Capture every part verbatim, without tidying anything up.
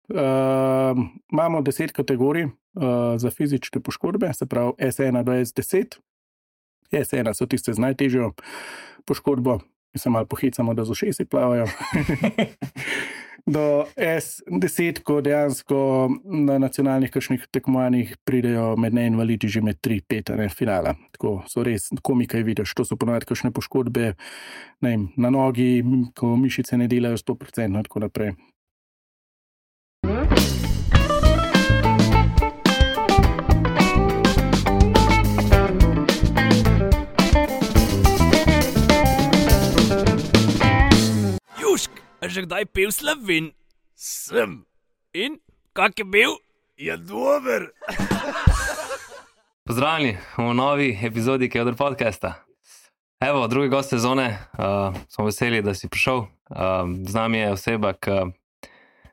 Uh, imamo deset kategorij uh, za fizične poškodbe, se pravi S ena do S deset. S ena so tiste z najtežjo poškodbo, ki se malo pohicamo, da z ušesi plavajo. Do S deset, ko dejansko na nacionalnih kakšnih tekmovanjih pridejo med neinvalidi že med tri pet finala. Tako so res komikaj vidiš, to so ponovadi kakšne poškodbe ne vem, na nogi, ko mišice ne delajo sto procentno in tako naprej. A že kdaj pil Slovin? Sem. In? Kak je bil? Je dober. Pozdravljeni v novi epizodi Kevdr podcasta. Evo, drugi gost sezone, uh, smo veseli, da si prišel. Uh, z nami je oseba, ki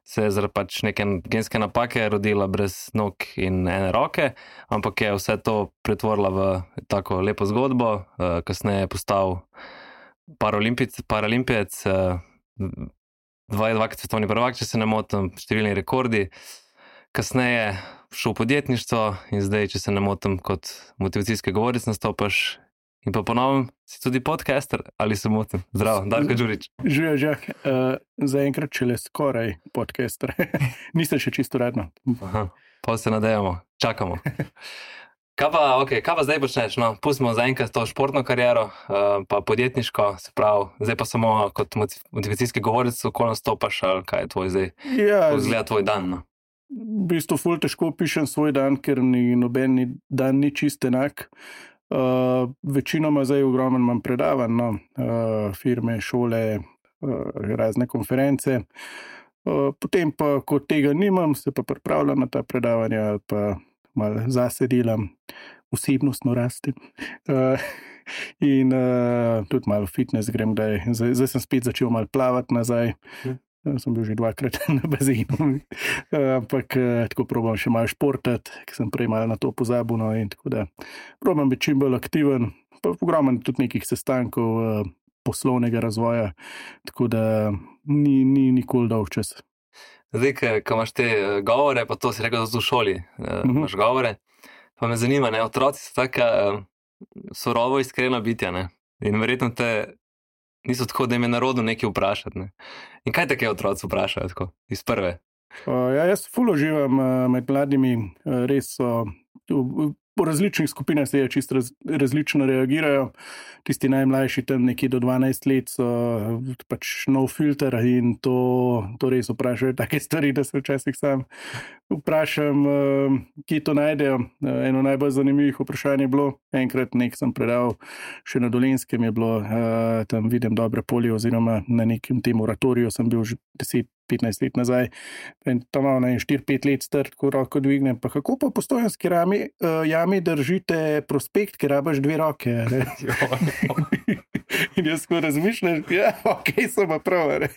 se je zaradi pač neke genske napake rodila brez nog in ene roke, ampak je vse to pretvorila v tako lepo zgodbo. Uh, kasneje je postal paralimpijec, paralimpijec uh, dvakrat svetovni prvak, če se ne motim, številni rekordi. Kasneje šel v podjetništvo in zdaj, če se ne motim, kot motivacijski govorec nastopaš. In pa ponovno si tudi podcaster, ali se motim? Zdravo, Darko Đurić. Živijo, že. Uh, zaenkrat šele skoraj podcaster. Nisem še čisto radno. Aha, pa se nadejamo, čakamo. Kaj pa, okay, kaj pa zdaj počneš? No, pustimo zaenkrat to športno kariero, uh, pa podjetniško, se pravi, zdaj pa samo kot motivacijski govorec, ko nastopaš, ali kaj je tvoj zdaj, Ja, kako izgleda tvoj dan? No? v bistvu ful težko pišem svoj dan, ker ni noben ni- dan ni čist enak. Uh, večinoma zdaj ogromno imam predavanj, no, uh, firme, šole, uh, razne konference. Uh, potem pa, ko tega nimam, se pa pripravljam na ta predavanja ali pa malo zase delam, osebnostno rastem. Uh, in uh, tudi malo fitness grem, da je, zdaj, zdaj sem spet začel malo plavati nazaj. Hm. Uh, sem bil že dvakrat na bazenu, uh, ampak uh, tako probam še malo športati, ker sem prej malo na to pozabil. No, in tako da probam biti čim bolj aktiven, pa ogromno tudi nekih sestankov uh, poslovnega razvoja, tako da ni, ni nikoli dolg čas. Zdaj, ko imaš te eh, govore, pa to si rekel, da so v šoli, uh, Mhm. imaš govore, pa me zanima, ne, otroci so taka uh, surovo iskrena bitja, ne, in verjetno te niso tako, da jim je narodno nekaj vprašati, ne. In kaj take otroci vprašajo tako, iz prve? Uh, ja, jaz ful uživam uh, med mladimi, uh, res so v, po različnih skupinah se čisto raz, različno reagirajo. Tisti najmlajši tam nekje do dvanajst let so uh, pač nov filter in to, to res vprašajo take stvari, da se včasih sam vprašam, uh, kje to najdejo. Uh, eno najbolj zanimivih vprašanj je bilo, enkrat nek sem predal še na Dolenjskem, je bilo, uh, tam vidim dobre polje oziroma na nekem tem oratoriju sem bil že deset petnajst let nazaj. In tam malo na štiri pet let star, tako roko dvignem. Pa kako pa v Postojnski jami, uh, jami držite prospekt, ker rabaš dve roke? Ne? In jaz tako razmišljam, ja, ok, so pa prav. Ne?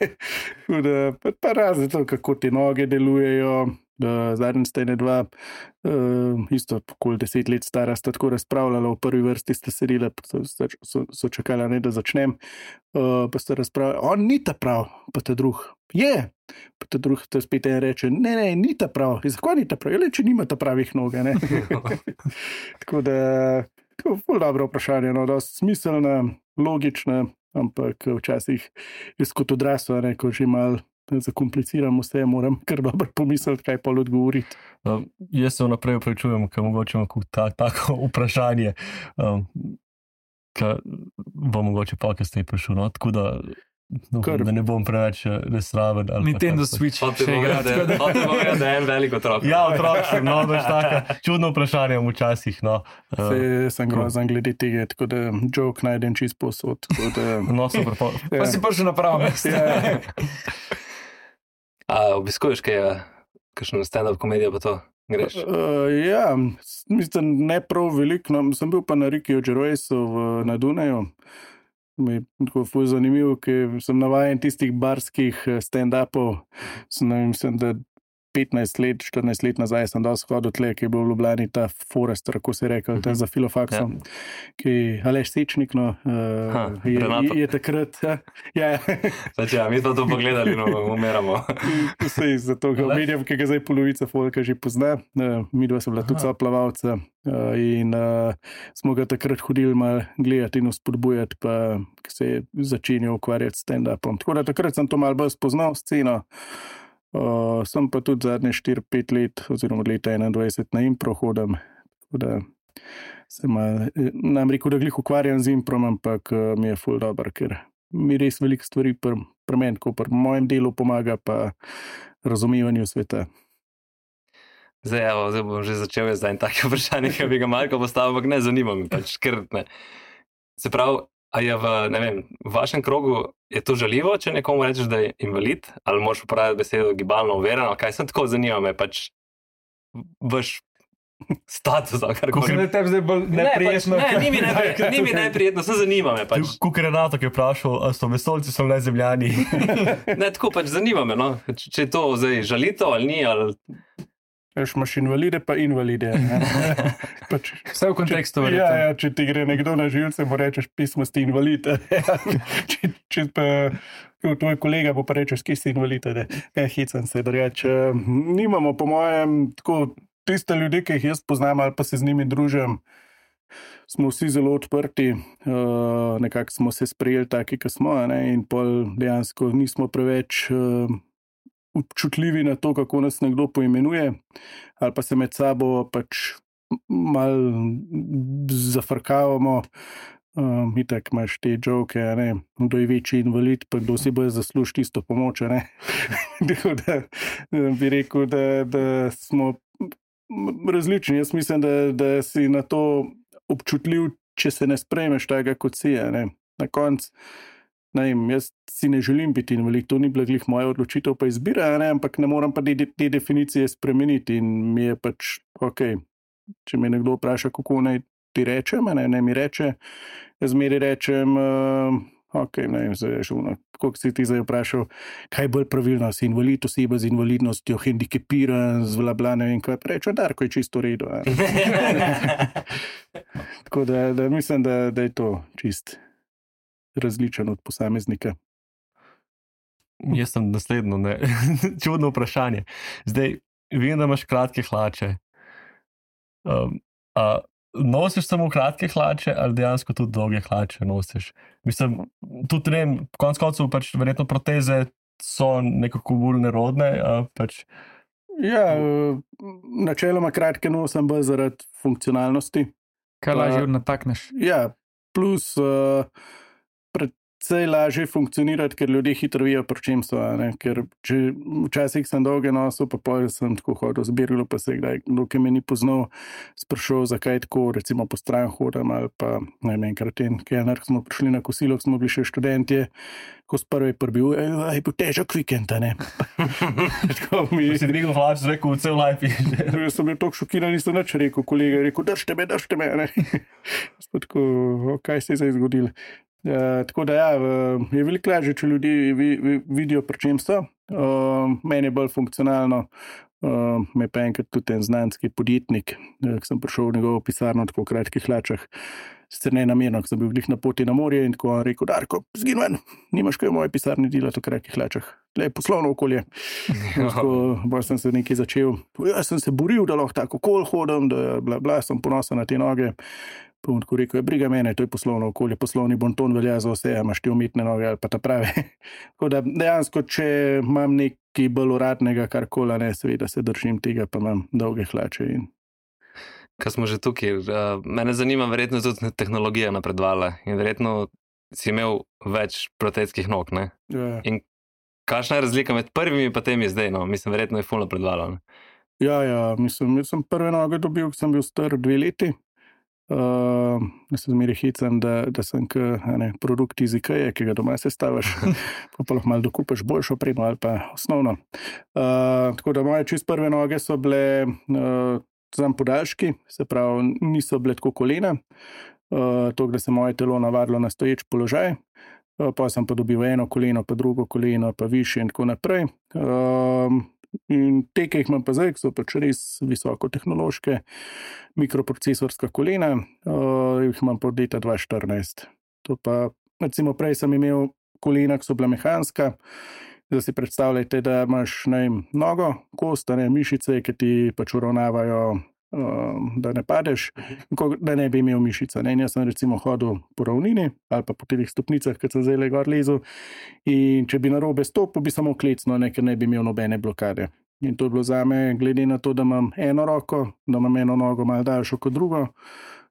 Tako da, pa, pa razne to, kako te noge delujejo. Uh, Zadnjič sta ene dva, uh, isto okoli deset let stara, sta tako razpravljala, v prvi vrsti sta sedela, pa so, so, so čakala, ne, da začnem. Uh, pa sta razpravljala, on ni ta prav, pa ta drug, je. Pa ta drug, ta spet en reče, ne, ne, ni ta prav. In zakaj ni ta prav? Je, če nima ta pravih noge, ne. Tako da, tako ful dobro vprašanje, no, dosti smiselna, logična, ampak včasih jaz kot odrasel, ne, ko že malo zakompliciram vse, moram kar dobro pomisliti, kaj pa odgovoriti. Um, jaz se vnaprej upravičujem, ker mogoče imam ta, tako vprašanje, um, ker bo mogoče pa, ker ste prišel, no, tako da, no, Kar. da ne bom preveč nesraven. ali pa Nintendo kako. Switch Hotel še igra. povedati, hotel povedati, da je en velik otrok. Ja, otrok sem, no, veš taka, čudno vprašanje včasih, no. Uh, Se, sem grozen glede tega, tako da joke najdem čist posod. Tako da, no, super, pa, Pa si prišel na pravo mesto. ja, A obiskuješ kaj, kakšno stand-up komedijo pa to greš? uh, ja, s- mislim, ne prav veliko, no, sem bil pa na Rikiju Gervaisu v- na Dunaju. Mi je tako ful zanimivo, ker sem navajen tistih barskih eh, stand-upov. Sem, ne vem, mislim, da petnajst let, štirinajst let nazaj sem dosti hodil tle, ki je bil v Ljubljani ta Forester, kako se je rekel, ta za filofaksom, ja. Ki Aleš Sečnik, no, uh, ha, je, je, je takrat... Ja, Znači, ja, mi smo to pogledali, no, umiramo. Vse iz zato, ga omenjam, ki ga zdaj polovica folka že pozna. Uh, mi dva sem bila tudi plavalca uh, in uh, smo ga takrat hodili malo gledati in spodbujati, pa ki se je začenjal ukvarjati s stand-upom. Tako da takrat sem to malo bolj spoznal sceno. Uh, sem pa tudi zadnje štiri pet let, oziroma od leta enaindvajset na impro hodam. Tako da sem mal, nam rekel, da glih ukvarjam z improm, ampak uh, mi je ful dober, ker mi res veliko stvari pri pr meni, ko pri mojem delu pomaga, pa razumevanju sveta. Zdaj, evo, zdaj bom že začel jaz zdaj tako vprašanje, ki bi ga Marko postavil, ampak ne zanima me, pač, ker ne. Se pravi, a je v, ne vem, v vašem krogu je to žaljivo, če nekomu rečeš, da je invalid, ali moraš uporabiti besedo gibalno overen, ali kaj sem tako zanima me, pač vaš status, ali karkoli. Kako je tebi zdaj bolj neprijetno? Ne, pač, ne, ni mi neprijetno, ni mi neprijetno, se zanima me pač. Kukor Renato, ki je vprašal, a so vesoljci, so le zemljani. Ne, tako pač zanima me, no, če je to zdaj žalito ali ni, ali... Veš, imaš invalide pa invalide. Pač, vse v kontekstu verjetno. Ja, ja, če ti gre nekdo na živce, mu rečeš, pismo ste invalid. če, če pa tvoj kolega bo pa rečeš, ki si invalid. Ne, ja, hecam se, da reč. Nimamo, po mojem, tako tiste ljudi, ki jih jaz poznam ali pa se z njimi družim, smo vsi zelo odprti, uh, nekako smo se sprejeli taki, ki smo, ne, in pol dejansko nismo preveč... Uh, občutljivi na to, kako nas nekdo poimenuje, ali pa se med sabo pač malo zafrkavamo. Um, itak imaš te joke, ne, kdo je večji invalid, pa kdo si bo zasluž tisto pomoč, ne. Tako da bi rekel, da, da smo različni. Jaz mislim, da, da si na to občutljiv, če se ne sprejmeš tega, kot si je, ne. Na koncu Ne, jaz si ne želim biti invalid, to ni bila glih moja odločitev pa izbira, ne, ampak ne moram pa te, te definicije spremeniti in mi je pač, ok, če me nekdo vpraša, kako naj ti rečem, ne, ne mi reče, jaz zmeri rečem, uh, ok, ne, zdaj, kako si ti zdaj vprašal, kaj je bolj pravilno, si invalid, oseba z invalidnostjo, hendikepiran, z vlabla, ne vem, kaj reče, Darko je čisto v redu. Tako da, da mislim, da, da je to čist različen od posameznika. Jaz sem naslednjo, ne. Čudno vprašanje. Zdaj, vem, da imaš kratke hlače. Um, a nosiš samo kratke hlače ali dejansko tudi dolge hlače nosiš? Mislim, tudi ne vem, konec koncev pač verjetno proteze so nekako bolj nerodne, a pač... Ja, načeloma kratke nosim bolj zaradi funkcionalnosti. Kaj lažje natakneš? Ja, plus... Uh, Predvsej lažje funkcionirati, ker ljudje hitro vijo, pri čem so. Ne? Ker če včasih sem dolge nosil, pa pol sem tako hodil, zbirilo pa se kdaj, dokaj me ni poznal, sprašal, zakaj tako, recimo po stran hodam, ali pa ne vem, enkrat en kelner, smo prišli na kosilo, smo bili še študentje, ko s prvi prbil, je bil težak vikend, ne? Tako mi... Si dvignil hlač, rekel, cel life. Jaz sem bil toliko šokiran, nisem nič rekel, kolega je rekel, držte me, držte me, ne? Spod tako, kaj se je zdaj zgodilo? Uh, tako da ja, uh, je veliko lažje, če ljudi vi, vi, vidijo, pri čem so. Uh, meni je bolj funkcionalno, uh, me pa enkrat tudi en znanski podjetnik, uh, ki sem prišel v njegovo pisarno v tako kratkih hlačah, sicer ne namerno, ki sem bil glih na poti na morje in tako on rekel, Darko, zgin ven, nimaš kaj v moje pisarni delati v kratkih hlačah. Le poslovno okolje. Tako, bolj sem se nekaj začel. Jaz sem se boril, da lahko tako okol hodim, da bla, bla, sem ponosen na te noge. Pa on tako rekel, briga mene, to je poslovno okolje, poslovni bonton velja za vse, imaš ti umetne noge ali pa ta prave. Tako da dejansko, če imam nekaj bolj uradnega karkola, ne, seveda se držim tega, pa imam dolge hlače. In... Ko smo že tukaj, uh, mene zanima, verjetno tudi tehnologija napredovala in verjetno si imel več protetskih nog, ne? Ja. In kakšna je razlika med prvimi pa temi zdaj, no? Mislim, verjetno je ful napredovala. Ja, ja, mislim, jaz sem prve noge dobil, ko sem bil star dve leti. Uh, jaz se zmeri hecam, da, da sem k, ne, produkt iz Ikeje, ki ga doma sestaviš, pa pa lahko malo dokupaš boljšo opremo ali pa osnovno. Uh, tako da moje čist prve noge so bile uh, zam podaljški, se pravi, niso bile tako kolena, uh, to, da se moje telo navadilo na stoječ položaj, uh, pa sem pa dobil eno koleno, pa drugo koleno, pa više in tako naprej. Uh, In te, ki jih imam pa zdaj, so pač res visokotehnološke mikroprocesorska kolena, uh, jih imam pa od leta dva tisoč štirinajst. To pa, recimo prej sem imel kolena, ki so bila mehanska, zdaj si predstavljajte, da imaš ne vem, nogo, kost, ne mišice, ki ti pač uravnavajo, uh, da ne padeš, da ne bi imel mišica. Ne? In jaz sem recimo hodil po ravnini ali pa po teh stopnicah, ki sem zdaj le gor lezel, in če bi narobe stopil, bi samo klecno, ne, ker ne bi imel nobene blokade. In to je bilo zame, glede na to, da imam eno roko, da imam eno nogo malo daljšo kot drugo,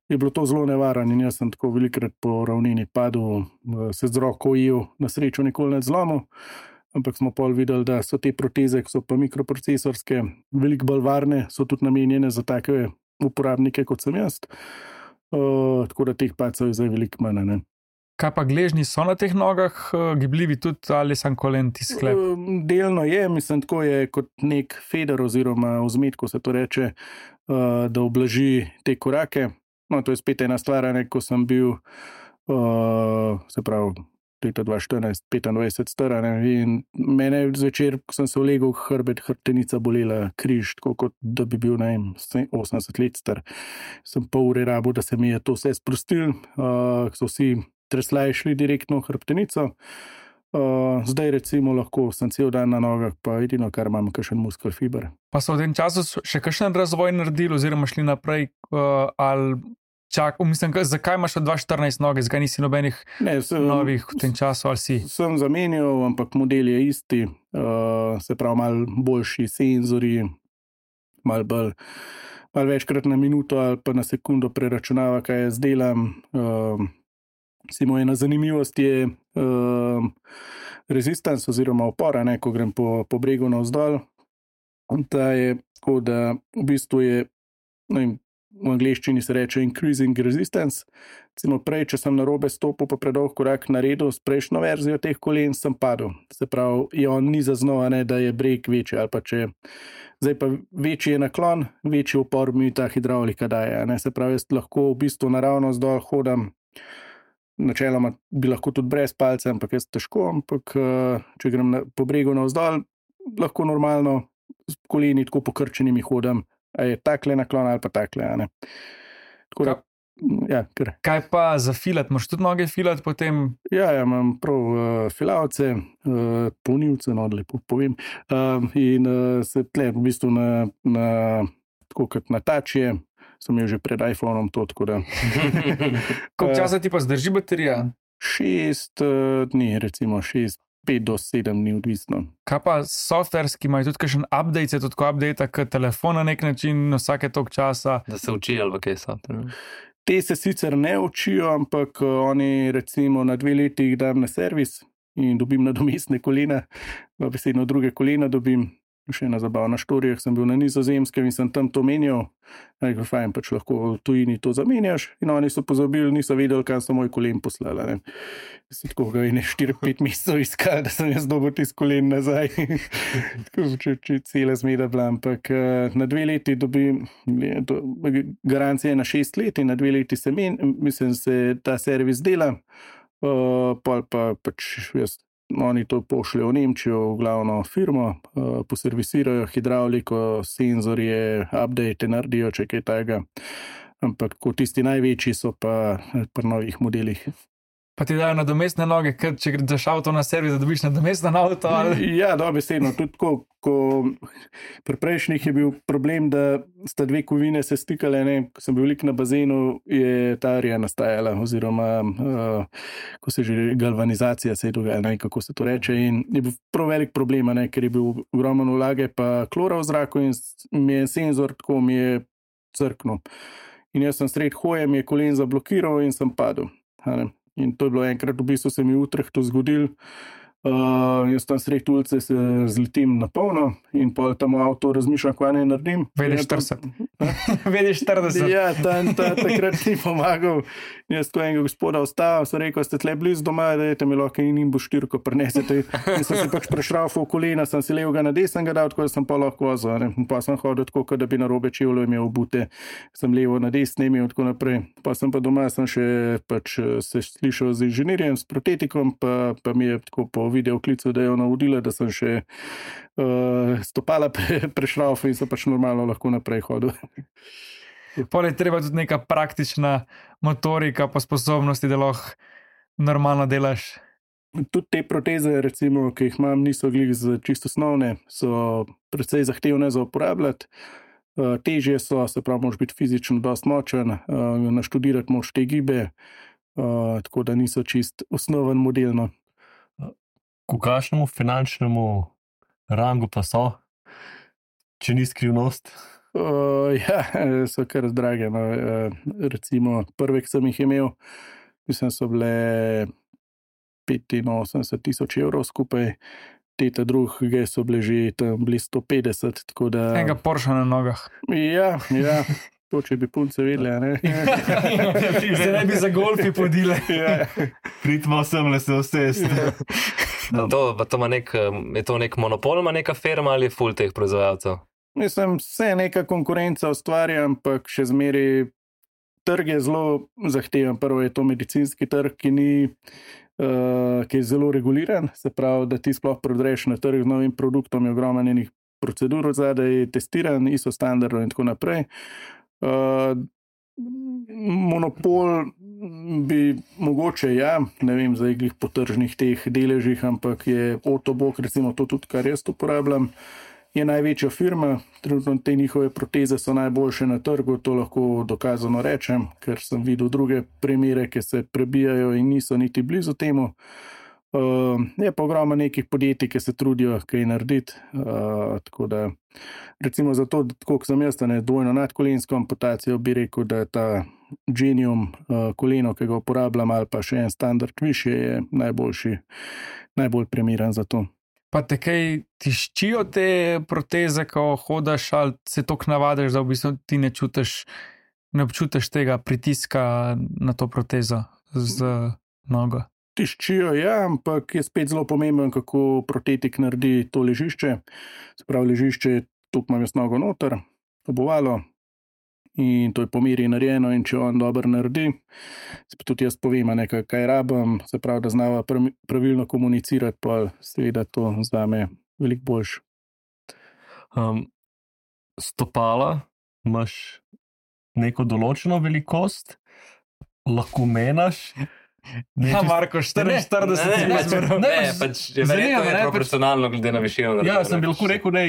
je bilo to zelo nevarno in jaz sem tako velikrat po ravnini padel, se z roko ujel, na srečo nikoli ne zlomil, ampak smo pol videli, da so te proteze, ki so pa mikroprocesorske, veliko bolj varne, so tudi namenjene za take uporabnike, kot sem jaz. Uh, tako da teh padcev je zdaj veliko manj. Ne? Kaj pa gležnji so na teh nogah, gibljivi tudi ali sam kolen ti sklep? Uh, delno je, mislim, tako je kot nek feder oziroma vzmet, ko se to reče, uh, da oblaži te korake. No, to je spet ena stvar, ne, ko sem bil, uh, se pravi, leta dva tisoč štirinajst, petindvajset stara, ne, in mene zvečer, ko sem se ulegel, hrbet, hrbtenica bolela, križ, tako kot da bi bil, ne vem, osemdeset let star. Sem pol ure rabo, da se mi je to vse sprostil, uh, so vsi treslaj šli direktno v hrbtenico. Uh, zdaj recimo lahko sem cel dan na nogah, pa edino, kar imam, kakšen muskel fiber. Pa so v tem času še kakšen razvoj naredili oziroma šli naprej, uh, ali čak, mislim, zakaj imaš od dva tisoč štirinajst noge, zakaj nisi nobenih ne, sem, novih v tem času, ali si? Sem zamenjal, ampak model je isti, uh, se pravi malo boljši senzori, malo bolj, malo večkrat na minuto ali pa na sekundo preračunava, kaj jaz delam. Uh, Simo ena zanimivost je uh, resistance oziroma opora, ne, ko grem po, po bregu navzdol. Ta je tako, da v bistvu je, no, v angleščini se reče increasing resistance. Recimo prej, če sem narobe stopil, pa predolg korak naredil s prejšnjo verzijo teh kolen, sem padel. Se pravi, je on ni zaznal, ne, da je breg večji, ali pa če zdaj pa večji je naklon, večji upor mi ta hidravlika daje. Ne. Se pravi, jaz lahko v bistvu naravno zdol hodam. Načeloma bi lahko tudi brez palca, ampak jaz težko, ampak če grem na, po bregu navzdol, lahko normalno s koleni tako pokrčenimi hodam, a je takle naklon ali pa takle. Ne? Tako da, ja, kar. Kaj pa za filat? Moš tudi noge filat potem? Ja, ja, imam prav uh, filavce, uh, polnilce, no, lepo povem, uh, in uh, se tle v bistvu na, na tako kot na tačje, sem jo že pred iPhonom to, tako da. Koliko časa ti pa zdrži baterija? Šest uh, dni, recimo šest, pet do sedem dni, odvisno. Kaj pa softverski, imajo tudi kakšen update, se tudi update, kot telefon na nek način, vsake toliko časa? Da se uči ali kaj softver. Te se sicer ne učijo, ampak oni recimo na dve leti jih dam na servis in dobim nadomestne kolena, pa besedno druge kolena dobim. Še ena zabavna štorija, sem bil na Nizozemskem in sem tam to menjal, nekaj fajn, pač lahko v tujini to zamenjaš in oni so pozabili, niso vedeli, kam so moj kolen poslala. Ne. Se tako ga je ne štiri pet mesecev iskal, da sem jaz dobil tis kolen nazaj. če, če cela zmeda bila, ampak na dve leti dobim, garancija je na šest let in na dve leti se men, mislim, se ta servis dela, uh, pa pa pač jaz oni to pošljajo v Nemčijo, v glavno firmo, uh, poservisirajo hidravliko, senzorje, update naredijo, če kaj tega. Ampak ko tisti največji so pa pri novih modelih. Pa ti dajo nadomestne noge, ker če greš avto na servis, da dobiš nadomestno avto? Ali? Ja, dobesedno. Tudi ko, ko pri prejšnjih je bil problem, da sta dve kovine se stikale, ne, ko sem bil velik na bazenu, je ta arija nastajala, oziroma uh, ko se že galvanizacija se je dogajala, ne, kako se to reče, in je bil prav velik problem, ne, ker je bil ogromno vlage pa klora v zraku in mi je senzor tako mi je crknil. In jaz sem sred hoje, mi je kolen zablokiral in sem padel. Ne. In to je bilo enkrat, v bistvu se mi v Utrecht to zgodil. Uh, jaz tam sred ulice se zletim na polno in pol tam v avto razmišljam, kaj ne naredim. Vede štirideset. Vede štirideset. Ja, tam ta, takrat ni pomagal. Jaz ko enega gospoda ostavil, sem rekel, ste tle blizu doma, da je mi lahko in bo štirko prinesete. In sem se pač prešraufal v kolena, sem si levega na desnega dal, tako da sem pa lahko vozil. Ne. Pa sem hodil tako, da bi na robe čevljo imel obute, sem levo na desne imel, tako naprej. Pa sem pa doma, sem še pač se slišal z inženirjem, s protetikom, pa, pa mi je tako po videoklicu, da je ona vodila, da sem še uh, stopala pre, prešrauf in so pač normalno lahko naprej hodil. Pol je treba tudi neka praktična motorika pa sposobnosti, da lahko normalno delaš. Tudi te proteze, recimo, ki jih imam, niso glih z čisto osnovne, so precej zahtevne za uporabljati. Uh, težje so, se pravi, moraš biti fizično dosti močen, uh, naštudirati moraš te gibe, uh, tako da niso čist osnoven modelno. V kakšnemu finančnemu rangu pa so, če ni skrivnost? Uh, ja, so kar drage. No. Uh, recimo, prve, ki sem jih imel, mislim, so bile petinosemdeset tisoč evrov skupaj, te ta druge so bile že tam bili sto petdeset. Da... Enega Porsche na nogah. Ja, ja. To, če bi punce vedele, ne? Zdaj ne bi za golfi podile. Ja. Pridmo sem le se vsest. To, to nek, je to nek monopol, ima neka firma ali ful teh proizvajalcev? Mislim, vse neka konkurenca ustvarja, ampak še zmeri trg je zelo zahteven. Prvo je to medicinski trg, ki ni Uh, ki je zelo reguliran, se pravi, da ti sploh prodreš na trg z novim produktom, je ogromno njenih procedur zadaj, testiran, I S O standardov in tako naprej. Uh, monopol bi mogoče, ja, ne vem, zdaj glih po tržnih teh deležih, ampak je Otobok, recimo to tudi, kar jaz uporabljam, je največja firma, trenutno te njihove proteze so najboljše na trgu, to lahko dokazano rečem, ker sem videl druge primere, ki se prebijajo in niso niti blizu temu. Uh, je pa ogromno nekih podjetij, ki se trudijo kaj narediti, uh, tako da recimo zato, koliko sem jaz, ne dvojno nadkolensko amputacijo, bi rekel, da je ta Genium uh, koleno, ki ga uporabljam, ali pa še en standard više, je najboljši, najbolj primeren za to. Pa te kaj tiščijo te proteze, ko hodaš, ali se toliko navadiš, da v bistvu ti ne čutiš, ne občutiš tega pritiska na to protezo z nogo? Tiščijo, ja, ampak je spet zelo pomemben, kako protetik naredi to ležišče. Se pravi, ležišče, tukaj imam jaz nogo noter, obovalo, in to je po meri narejeno, in če on dobro naredi, se pa tudi jaz povem, nekaj, kaj rabim, se pravi, da znava pravilno komunicirati, pa seveda to zame veliko boljše. Um, stopala, imaš neko določeno velikost, lahko menaš. Ja, Marko, štiriinštirideset centimetrov. Ne, pač je verjetno proporcionalno glede na višino. Ja, sem bi lahko rekel, ne,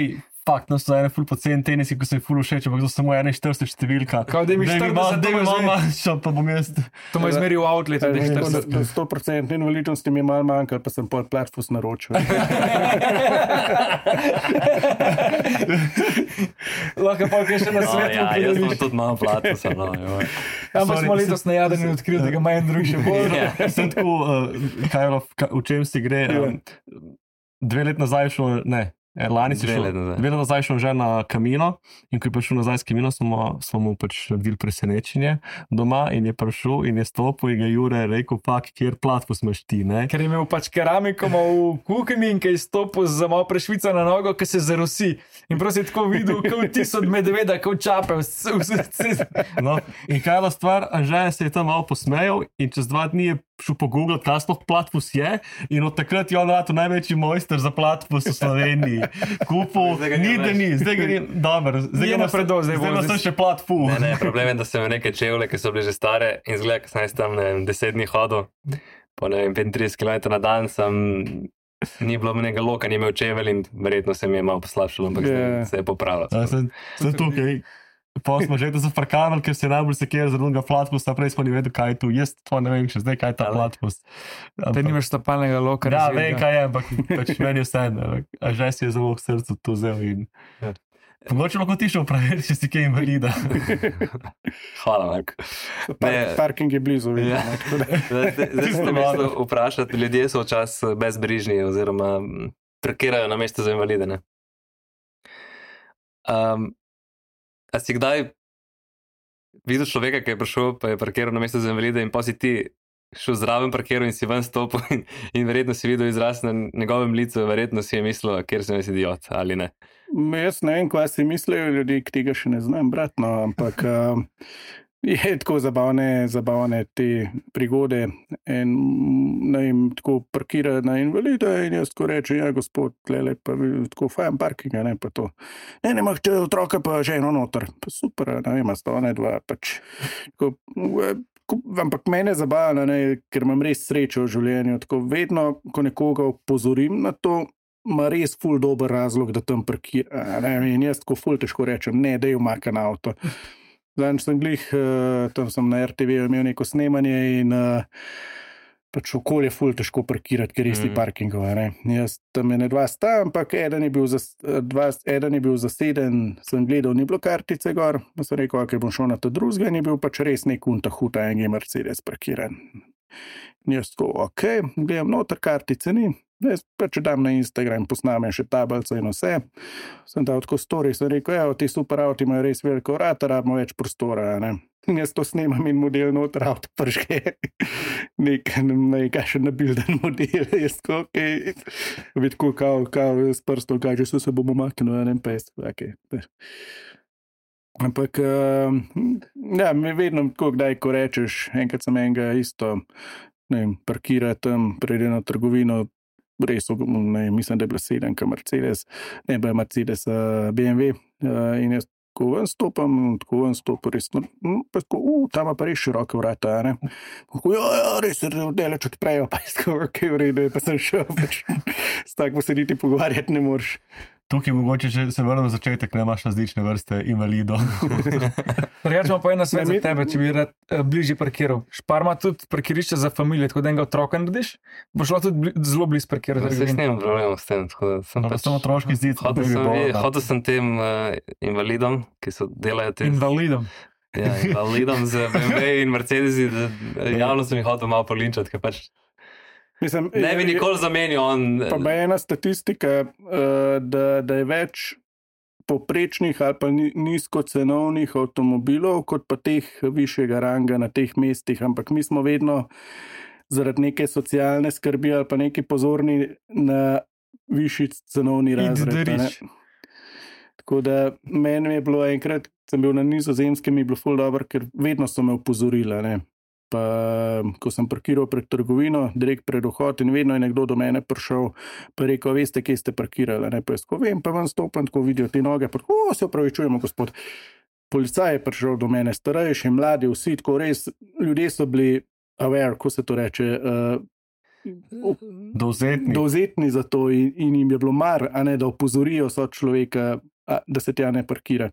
fakt, no so ene ful poceni tenisi, ko se je ful všeč, ampak to samo enainštirideset številka. Kao, da mi štirideset, da mi malo manjša, pa bom jaz. To me izmeri v outletu, da je štirideset. sto procent invalidnosti mi je malo manjkal, pa sem pol platfus naročil. Lahko pa kaj še na svetu. Ja, jaz sem tudi malo platfusa. Ampak smo letos najadeni odkrili, da ga ima en drug še bolj. Sem tako, kaj v čem si gre, dve let nazaj šlo, ne, lani si šel, dve let nazaj šel že na Camino, in ko je prišel nazaj s Camino, smo, smo mu pač naredili presenečenje doma, in je prišel in je stopil in je Jure rekel, pak, kjer platfus imaš ti, ne? Ker je imel pač keramiko v kuhinji in kaj je stopil za malo prešvica na nogo, ki se zarosi. In prosi je tako videl, kot ti so od medveda, kot čape. No, in kaj je la stvar, Anže se je tam malo posmejal in čez dva dni je šel pogooglati, kaj sploh platfus je, in od takrat je on rad največji mojster za platfus v Sloveniji. Kupil, ni da ni, zdaj ga ni, dobro, zdaj ga napredo, zdaj bo zdaj še platfu. Ne, ne, problem je, da sem imel neke čevlje, ki so bile že stare, in zgleda, ko sem jaz tam, ne vem, deset dni hodil, po ne vem, petintrideset kilometrov na dan, sem, ni bilo nekega loka, ni imel čevelj in verjetno se mi je malo poslabšalo, ampak yeah. se je popravilo. Ja, sem, sem tukaj. Pa smo že to zafrkavali, ker se je najbolj sekir za drugega platfusa, prej smo ni vedel, kaj je tu. Jaz to ne vem še zdaj, kaj je ta platfus. Te nimaš stopalnega loka. Ja, vem, kaj je, ampak pač meni je vse. A že si je zelo v srcu to vzel in... Mogoče lahko ti še upraviti, če si kaj invalida. Hvala, Marko. Parking je blizu. Ja. Zdaj ste mislili vprašati, ljudje so včasih bezbrižni oziroma parkirajo na mesto za invalide, ne? Um, A si kdaj videl človeka, ki je prišel, pa je parkiral na mesto za invalide in pa si ti šel zraven parkiral in si ven stopil in, in verjetno si videl izraz na njegovem licu, verjetno si je mislil, kjer sem jaz idiot, ali ne? Jaz ne vem, kaj si mislijo ljudi, ki tega še ne znam, bratno, ampak uh, Je tako zabavne, zabavne te prigode. En, ne vem, tako parkira na invalida in jaz tako reče, ja, gospod, tlele, pa tako fajn parkinga, ne, pa to. Ne, ne, mah, če otroka pa ženo noter. Pa super, ne vem, sta one dva, pač. Tako, ampak mene zabavno, ne, ker imam res srečo v življenju. Tako vedno, ko nekoga opozorim na to, ima res ful dober razlog, da tam parkira. Ne, in jaz tako ful težko rečem, ne, da je umakan avto. Zadnjič sem glih, uh, tam sem na er te ve imel neko snemanje in uh, pač okolje ful težko parkirati, ker res ni mm. parkingov. Ne. Jaz tam je ne dva sta, ampak eden je bil, zas, dva, eden je bil zaseden, sem gledal, ni bilo kartice gor, pa sem rekel, ok, bom šel na to drugega in je bil pač res nek unta huta, en je Mercedes parkiran. In jaz tako, ok, gledam noter, kartice ni. Jaz pač dam na Instagram, posnamem še tablico in vse. Sem dal tako story, sem rekel, evo, ti super avti imajo res veliko vrata, rabimo več prostora, ne. In jaz to snemam in model noter avto prže. Nek, nekakšen nabilden model, jaz tako, okej. Okay. Vidko, kao, kao, s prstom kaže, so se bomo maknili, ne, pa jaz, okej. Okay. Ampak, uh, ja, mi vedno, tako kdaj, ko rečeš, enkrat sem enega isto, ne vem, parkira tam, prede na trgovino, res, ne, mislim, da je bila sedenka Mercedes, ne, bila je Mercedes uh, B M W uh, in jaz tako ven stopam, tako ven stopam, res, no, pa tako, uh, tam pa res široke vrata, ne. Tako, ja, ja, res, deleč odprejo, pa jaz tako, ok, v redu, pa sem šel, pač, s tako se niti pogovarjati ne moreš. Tukaj mogoče, če se vrnem začetek, ne imaš različne vrste invalidov. Rečemo pa eno svet za tebe, če bi rad uh, bližje parkiral. Špar ima tudi parkirišče za familije, tako da enega otroka narediš, bo šlo tudi bli, zelo blizu parkirati. Se s tem problemom s tem. Sem pač samo otroški zid. Hodil sem, hodil sem tem uh, invalidom, ki so delajo te... Invalidom. Ja, invalidom z B M W in Mercedesi, da javno sem jih hodil malo polinčati, ker pač Mislim, ne bi nikoli zamenil on. Pa je ena statistika, da, da je več poprečnih ali pa nizkocenovnih avtomobilov, kot pa teh višjega ranga na teh mestih, ampak mi smo vedno zaradi neke socialne skrbi ali pa neki pozorni na višji cenovni razred. Tako da meni je bilo enkrat, sem bil na Nizozemskem, mi je bilo ful dobro, ker vedno so me opozorila, ne. Pa, ko sem parkiral pred trgovino, direkt pred vhod in vedno je nekdo do mene prišel, pa rekel, veste, kje ste parkirali, ne, pa jaz ko vem, pa vam stopam, tako vidijo te noge, pa o, se opravičujemo, gospod. Policaj je prišel do mene, starejši, mladi, vsi, tako res, ljudje so bili aware, ko se to reče, uh, dovzetni. dovzetni za to in, in jim je bilo mar, a ne, da opozorijo so človeka, a, da se tja ne parkira.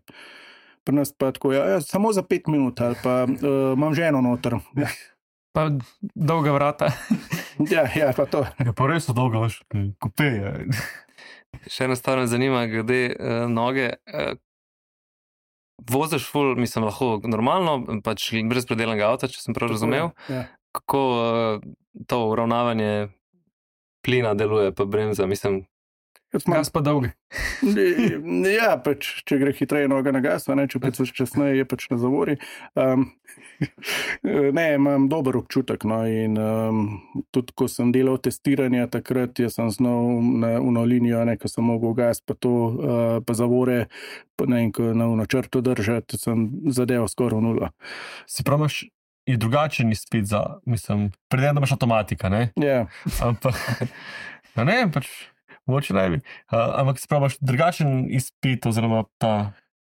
Pri nas pa tako, ja, ja, samo za pet minut, ali pa uh, imam ženo noter. Ja. Pa dolga vrata. ja, ja, pa to. Ja, pa res so dolga, veš, kupeje. Še ena stvar me zanima, glede uh, noge. Uh, voziš ful, mislim, lahko normalno, pač brez predelanega avta, če sem prav razumel. Ja. Kako uh, to uravnavanje plina deluje, pa bremza, mislim, Gas pa dolgi. Ja, pač, če gre hitreje noga na gas, ne, če pač časneje je pač na zavori. Um, ne, imam dober občutek, no, in um, tudi, ko sem delal testiranja takrat, jaz sem znal na uno linijo, ne, ko sem mogel gas, pa to, uh, pa zavore, pa ne, ko na uno črto držati, sem zadeval skoraj v nulo. Si prav imaš je drugačen izpit za, mislim, predem, da imaš avtomatika, ne? Ja. Ampak, ja, ne, pač, moče naj bi. Uh, ampak si praviš drugačen izpit oziroma ta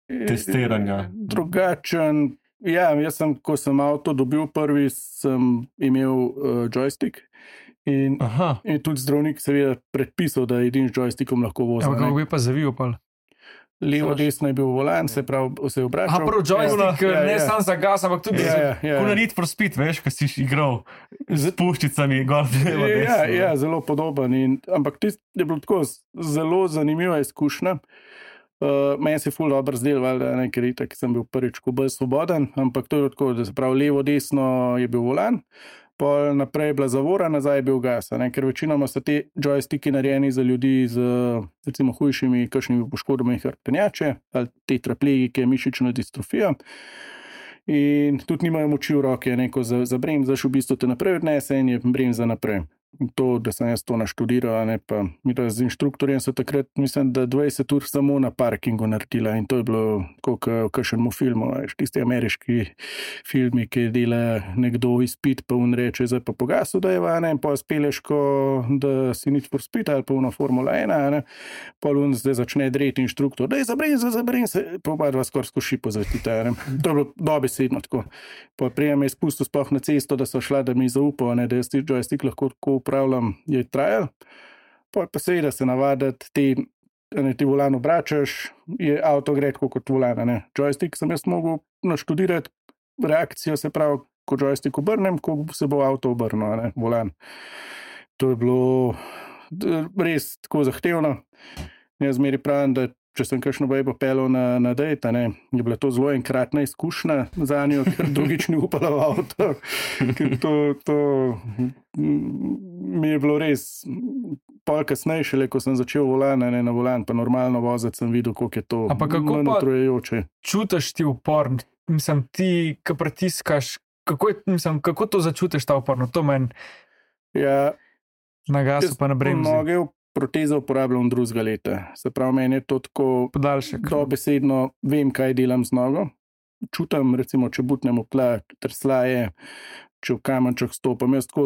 testiranja? Drugačen, ja, jaz sem, ko sem avto dobil prvi, sem imel uh, joystick in, in tudi zdravnik seveda predpisal, da edin z joystickom lahko vozim. Ampak kako bi pa zavil pol? Levo, desno je bil volan, se pravi, se je obračal. A prvo joystick, ja, ne ja. sam za gas, ampak tudi ja, za... ja, ja. Kuna Need for Speed, veš, ko si igral z puščicami, gor, levo, desno. Ja, ja, zelo podoben. In, ampak tisto je bilo tako zelo zanimiva izkušnja. Uh, meni se je ful dobro zdel, valjda, ne, ker itak sem bil prvič ko bolj svoboden, ampak to je tako, da se pravi, levo, desno je bil volan, pol naprej je bila zavora, nazaj je bil gas, ne, ker večinoma so te joysticki narejeni za ljudi z recimo hujšimi kakšnimi poškodbami hrbtenjače ali tetraplegike, mišično distrofijo. In tudi nimajo moči v roke, neko za, za bremzaš, v bistvu te naprej odnese in je bremza naprej. to, da sem jaz to naštudiral, ne pa mi to z inštruktorjem so takrat, mislim, da dvajset ur samo na parkingu naredila in to je bilo kot v kakšnemu filmu, veš, tisti ameriški filmi, ki dela nekdo izpit, pa on reče, zdaj pa pogasil, da je vane in pa speleš, ko da si nič for spit ali pa ono Formula ena, ne, pa on zdaj začne dreti inštruktor, da je zabrin se, zabrin se, pa oba dva skoraj skoši pozvetita, ne, to je bilo dobesedno tako. Pa prijem je spustil sploh na cesto, da so šla, da mi zaupal, ne, da jaz ti joystick lahko tako upravljam, je trajal. Pa pa seveda se navaditi, ti, ne, ti volan obračaš, je avto gre tako kot volan, ne. Joystick sem jaz mogel naštudirati reakcijo, se pravi, ko joystick obrnem, ko se bo avto obrnil, ne, volan. To je bilo res tako zahtevno. Jaz zmeri pravim, da če sem kakšno bejbo pelil na, na dejt, ne, je bila to zelo enkratna izkušnja za njo, ker drugič ni upala v avto. Ker to, to mi je bilo res pol kasneje, šele ko sem začel volan, ne, na volan, pa normalno voziti, sem videl, koliko je to utrujajoče. Čutiš ti upor? Mislim, ti, ko pritiskaš, kako, je, mislim, kako to začutiš ta upor? No, to meni ja, na gasu pa na bremzi. Noge protezo uporabljam drugega leta. Se pravi, meni je to tako podaljšek. Dobesedno vem, kaj delam z nogo. Čutam, recimo, če butnem v tla, trslaje, če v kamenček stopam, jaz tako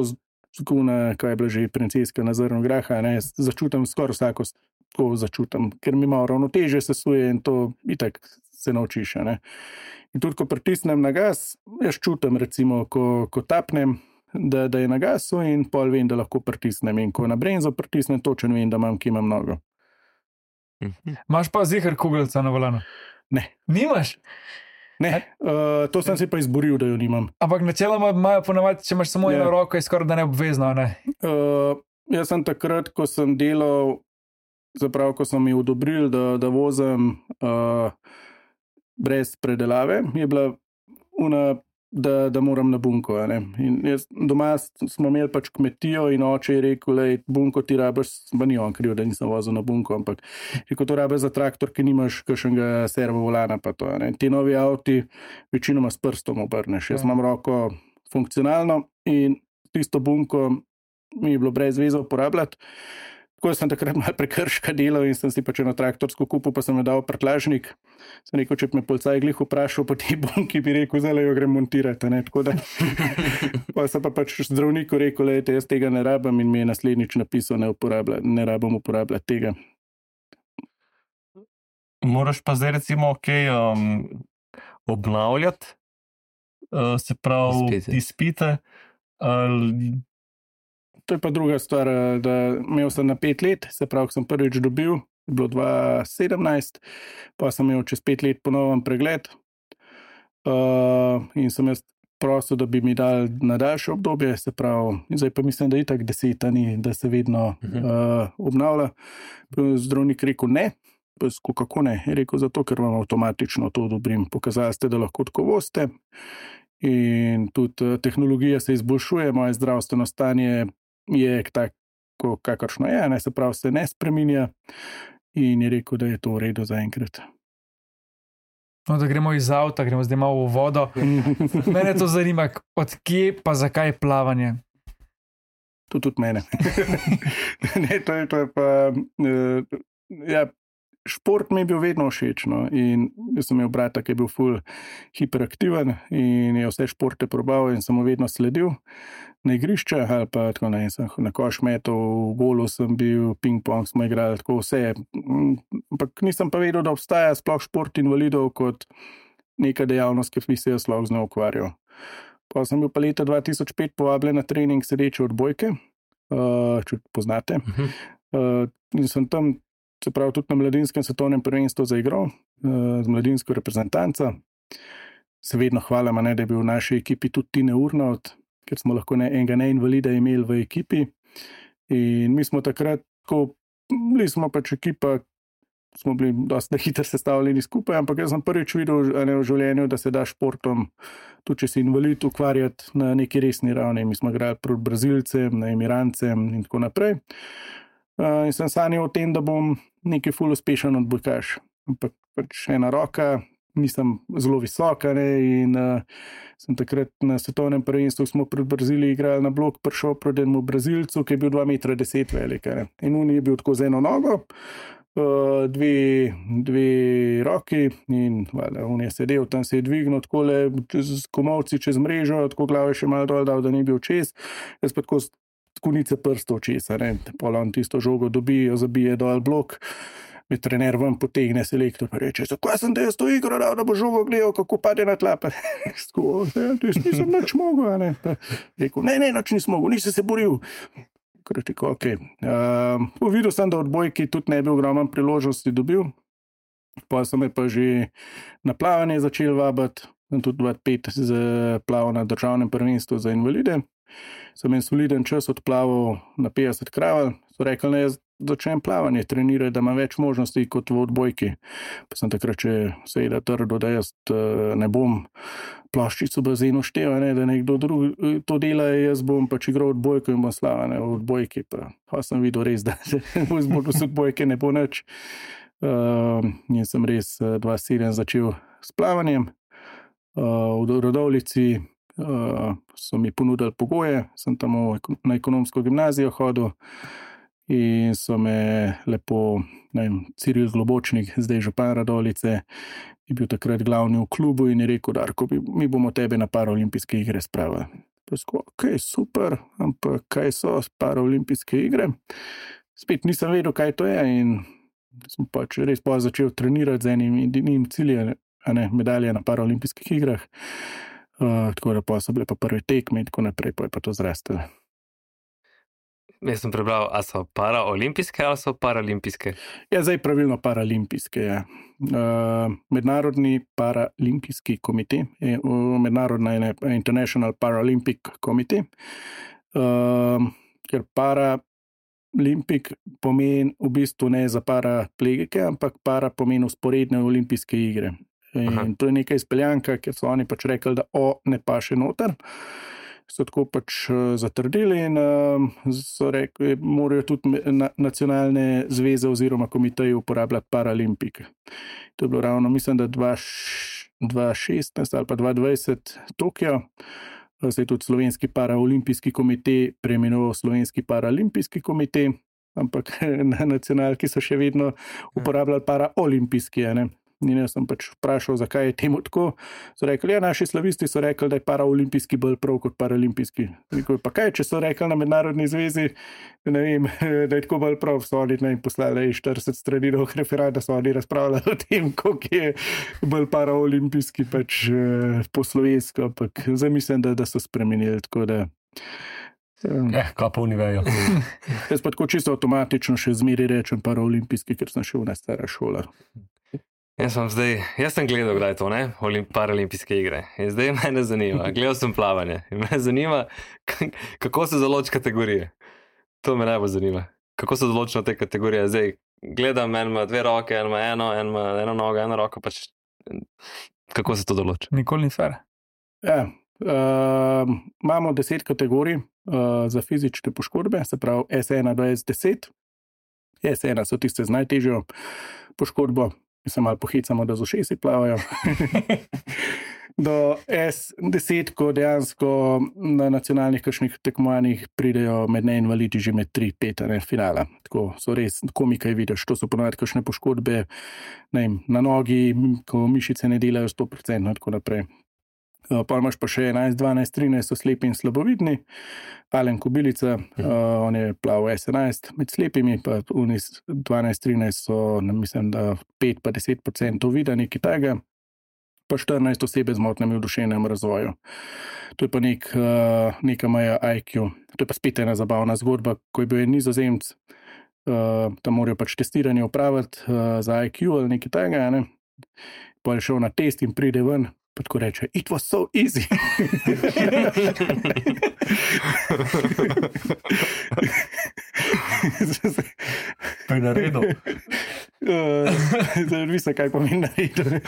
skuna, kaj je bila že princeska na zrno graha, ne, začutam skoraj vsako, tako začutam, ker mi malo ravnotežje sesuje in to itak se naučiš, ne. In tudi, ko pritisnem na gas, jaz čutam, recimo, ko, ko tapnem, Da, da je na gasu in pol vem, da lahko pritisnem. In ko na bremzo pritisnem, točno vem, da imam, ki imam nogo. Imaš pa zihar kugelca na volanu? Ne. Nimaš? Ne, uh, to sem se pa izboril, da jo nimam. Ampak načeloma imajo ponavadi, če imaš samo eno roko, je skoraj da neobvezno, ne? Uh, jaz sem takrat, ko sem delal, zapravo, ko sem mi odobril, da, da vozim uh, brez predelave, je bila una Da, da moram na bunko. Ne? In jaz, doma smo imeli pač kmetijo in oče je rekel, lej, bunko ti rabiš, pa ni on kriv, da nisem vozil na bunko, ampak rekel, to rabiš za traktor, ki nimaš kakšnega servo volana pa to. Ne? Ti novi avti večinoma s prstom obrneš. Jaz imam roko funkcionalno in tisto bunko mi je bilo brez veze uporabljati. Tako sem takrat malo prekrška delal in sem si pač eno traktorsko kupil, pa sem jo dal prtljažnik. Sem rekel, če bi me policaj glih vprašal po tej bunki, bi rekel, zdaj jo grem montirati. Ne? Tako da pa sem pa pač zdravniku rekel, lejte, jaz tega ne rabim in mi je naslednjič napisal, ne, ne rabim uporabljati tega. Moraš pa zdaj recimo okay, um, obnavljati, uh, se pravi izpite. izpite uh, To je pa druga stvar, da imel sem na pet let, se pravi, ko sem prvič dobil, je bilo dva tisoč sedemnajst, pa sem imel čez pet let ponoven pregled uh, in sem jaz prosil, da bi mi dal na daljše obdobje, se pravi, zdaj pa mislim, da je itak deset, ni, da se vedno uh, obnavlja. Zdravnik rekel ne, pa kako ne, je rekel zato, ker vam avtomatično to odobrim. Pokazali ste, da lahko tako vozite in tudi tehnologija se izboljšuje, moje zdravstveno stanje je tako, kakršno je, ne, se pravi, se ne spreminja in je rekel, da je to v redu za enkrat. No, da gremo iz avta, gremo zdaj malo v vodo. Mene to zanima, od kje pa zakaj plavanje? To tudi mene. ne, to je, to je pa... Uh, ja, šport mi je bil vedno všeč, no, in jaz sem imel brata, ki je bil ful hiperaktiven in je vse športe probal in sem mu vedno sledil na igrišče, ali pa tako ne, sem na koš metal, v golu sem bil, ping-pong smo igrali, tako vse. Ampak nisem pa vedel, da obstaja sploh šport invalidov kot neka dejavnost, ki bi se jaz lahko z njo ukvarjal. Pa sem bil pa leta dva tisoč pet povabljen na trening sedeče odbojke, uh, če poznate. Uh, in sem tam se pravi, tudi na mladinskem svetovnem prvenstvu zaigral z mladinsko reprezentanco. Se vedno hvalim, ne, da je bil v naši ekipi tudi Tine Urnot, ker smo lahko ne, enega neinvalida imeli v ekipi. In mi smo takrat, ko bili smo pač ekipa, smo bili dosti hitro sestavljeni skupaj, ampak jaz sem prvič videl ne, v življenju, da se da športom, tudi če si invalid, ukvarjati na neki resni ravni. Mi smo igrali proti Brazilcem, Emirancem in tako naprej. Uh, in sem sanjal o tem, da bom neki ful uspešen odbojkaš. Ampak pač ena roka, nisem zelo visoka, ne, in uh, sem takrat na svetovnem prvenstvu, smo pred Brazilijo igrali na blok, prišel pred enemu Brazilcu, ki je bil dva metra deset velik, ne. In on je bil tako z eno nogo, uh, dve, dve roki in valjda, on je sedel, tam se je dvignil takole z komolci čez mrežo, tako glave še malo dol dal, da ni bil čez, jaz pa tako z konice prstov česa, ne, pol on tisto žogo dobi, jo zabije dol blok, me trener ven potegne selektor, pa reče, zakaj sem da jaz to igro dal, da bo žogo gledal, kako pade na tla, pa tako, ja, jaz nisem nič mogel, ne, pa rekel, ne, ne, nič nisem mogel, nisi se boril. Rekel, ok. Uh, videl sem, da odbojki tudi ne bi ogromno priložnosti dobil, pa sem me pa že na plavanje začel vabiti, sem tudi dva tisoč pet plaval na državnem prvenstvu za invalide, sem en soliden čas odplaval na petdeset kraval, so rekli, ne, jaz začnem plavanje, trenirati, da ima več možnosti kot v odbojki. Pa sem takrat še seveda trdil, da jaz ne bom ploščic v bazenu štel, ne, da nekdo drug to dela, jaz bom pač igral odbojko in bom slava, ne, v odbojki. Pa, pa sem videl res, da v izboru z odbojke ne bo nič. Uh, in sem res dva tisoč sedem začel s plavanjem. Uh, v Radovljici uh, so mi ponudili pogoje, sem tam na ekonomsko gimnazijo hodil, in so me lepo, ne vem, Ciril Globočnik, zdaj župan Radovljice, je bil takrat glavni v klubu in je rekel, Darko, mi bomo tebe na paraolimpijske igre spravili. Pa sko, ok, super, ampak kaj so paraolimpijske igre? Spet nisem vedel, kaj to je in sem pač res pa začel trenirati z enim edinim ciljem, a ne, medalje na paraolimpijskih igrah. Uh, tako da pa so bile pa prve tekme in tako naprej, pa je pa to zrastalo. Jaz sem prebral, a so paraolimpijske ali so paralimpijske? Ja, zdaj pravilno paralimpijske, ja. Uh, mednarodni paralimpijski komite, mednarodna je International Paralympic Committee, uh, ker paralimpik pomeni v bistvu ne za paraplegike, ampak para pomeni usporedne olimpijske igre. In Aha. to je neka izpeljanka, ker so oni pač rekli, da o ne paše noter. So tako pač zatrdili in uh, so rekli, morajo tudi na, nacionalne zveze oziroma komiteji uporabljati paralimpike. To je bilo ravno, mislim, da dva tisoč šestnajst ali pa dva tisoč dvajset Tokio. Se je tudi slovenski paraolimpijski komite preimenoval slovenski paralimpijski komite, ampak na nacionalki so še vedno uporabljali paraolimpijski, ne. In jaz sem pač vprašal, zakaj je temu tako. So rekli, ja, naši slavisti so rekli, da je paraolimpijski bolj prav kot paralimpijski. Rekel, pa kaj, če so rekli na mednarodni zvezi, ne vem, da je tako bolj prav, so oni ne poslali štirideset strani dolg referat, da so oni razpravljali o tem, koliko je bolj paraolimpijski pač po slovensko, ampak zdaj mislim, da, da so spremenili, tako da... Um, eh, kaj pa oni vejo. Jaz pa tako čisto avtomatično še zmeri rečem paraolimpijski, ker sem šel na stara šola. Jaz sem zdaj, jaz sem gledal, kdaj je to, ne, paralimpijske igre. In zdaj mene zanima, gledal sem plavanje. In me zanima, kako se določi kategorije. To me najbolj zanima. Kako se določijo te kategorije? Zdaj gledam, en ima dve roke, en ima eno, en ima eno nogo, eno roko, pač kako se to določi? Nikoli ni fair. Ja, uh, imamo deset kategorij uh, za fizične poškodbe, se pravi S ena do S deset. S ena so tiste z najtežjo poškodbo. Mi se malo pohicamo, da z ušesi plavajo. Do S deset, ko dejansko na nacionalnih kakšnih tekmovanjih pridejo med neinvalidi že med tri pet finala. Tako so res komikaj vidiš. To so ponovadi kakšne poškodbe, ne vem, na nogi, ko mišice ne delajo sto procentov in tako naprej. Pa imaš pa še enajst, dvanajst, trinajst so slepi in slabovidni. Alen Kobilica, uh, on je plaval S enajst med slepimi, pa dvanajst, trinajst so, ne, mislim, da pet pa deset procentov vida, nekaj tega, pa štirinajst osebe z motnjami v duševnem razvoju. To je pa nek, uh, neka moja I Q. To je pa spet ena zabavna zgodba, ko je bil en Nizozemec, uh, tam morajo pač testiranje opraviti uh, za I Q ali nekaj tega, ne. Pa je šel na test in pride ven, pa tako reče, it was so easy. Pa je naredil. Zdaj visa, kaj pomeni naredil.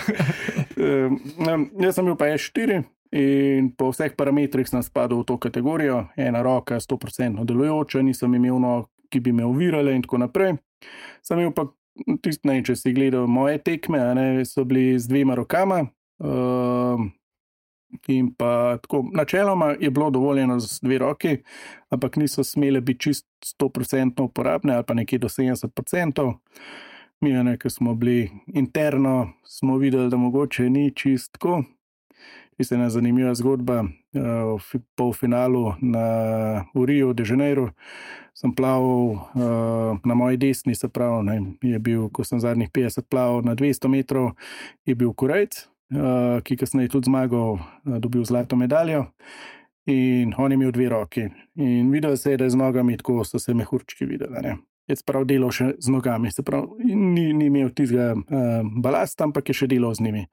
Jaz sem bil pa S štiri in po vseh parametrih sem spadal v to kategorijo. Ena roka sto procentno delujoča, nisem imel nog, ki bi me ovirale in tako naprej. Sem imel pa tist, ne, če si gledal moje tekme, a ne, so bili z dvema rokama. Uh, in pa tako, načeloma je bilo dovoljeno z dve roki, ampak niso smele biti čist sto procentno uporabne ali pa nekje do sedemdeset procentov. Mi, ne, ker smo bili interno, smo videli, da mogoče ni čist tako. Tista ena zanimiva zgodba, uh, v polfinalu na v Rio de Janeiro sem plaval uh, na moji desni, se pravi, ne, je bil, ko sem zadnjih petdeset plaval na dvesto metrov, je bil Korejc, uh, ki kasneje tudi zmagal, uh, dobil zlato medaljo in on je imel dve roki. In videl se je, da je z nogami tako so se mehurčki videli, ne. Je prav delal še z nogami, se pravi, ni, ni imel tistega uh, balasta, ampak je še delal z njimi.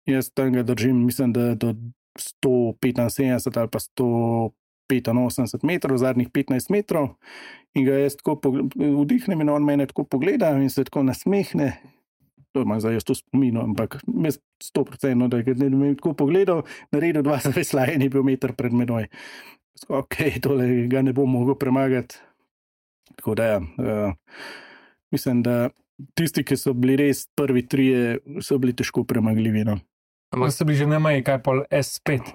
Jaz tam ga držim, mislim, da do sto petinsedemdeset ali pa sto petinosemdeset metrov, zadnjih petnajst metrov, in ga jaz tako vdihnem in on mene tako pogleda in se tako nasmehne. To imam zdaj jaz to spomino, ampak jaz sto procentno, da je me tako pogledal, naredil dva zaveslaja in je bil meter pred menoj. Ok, tole ga ne bom mogel premagati. Tako da ja, uh, mislim, da tisti, ki so bili res prvi trije, so bili težko premagljivi. No. Ampak so bili že najmanj, kaj pol S pet.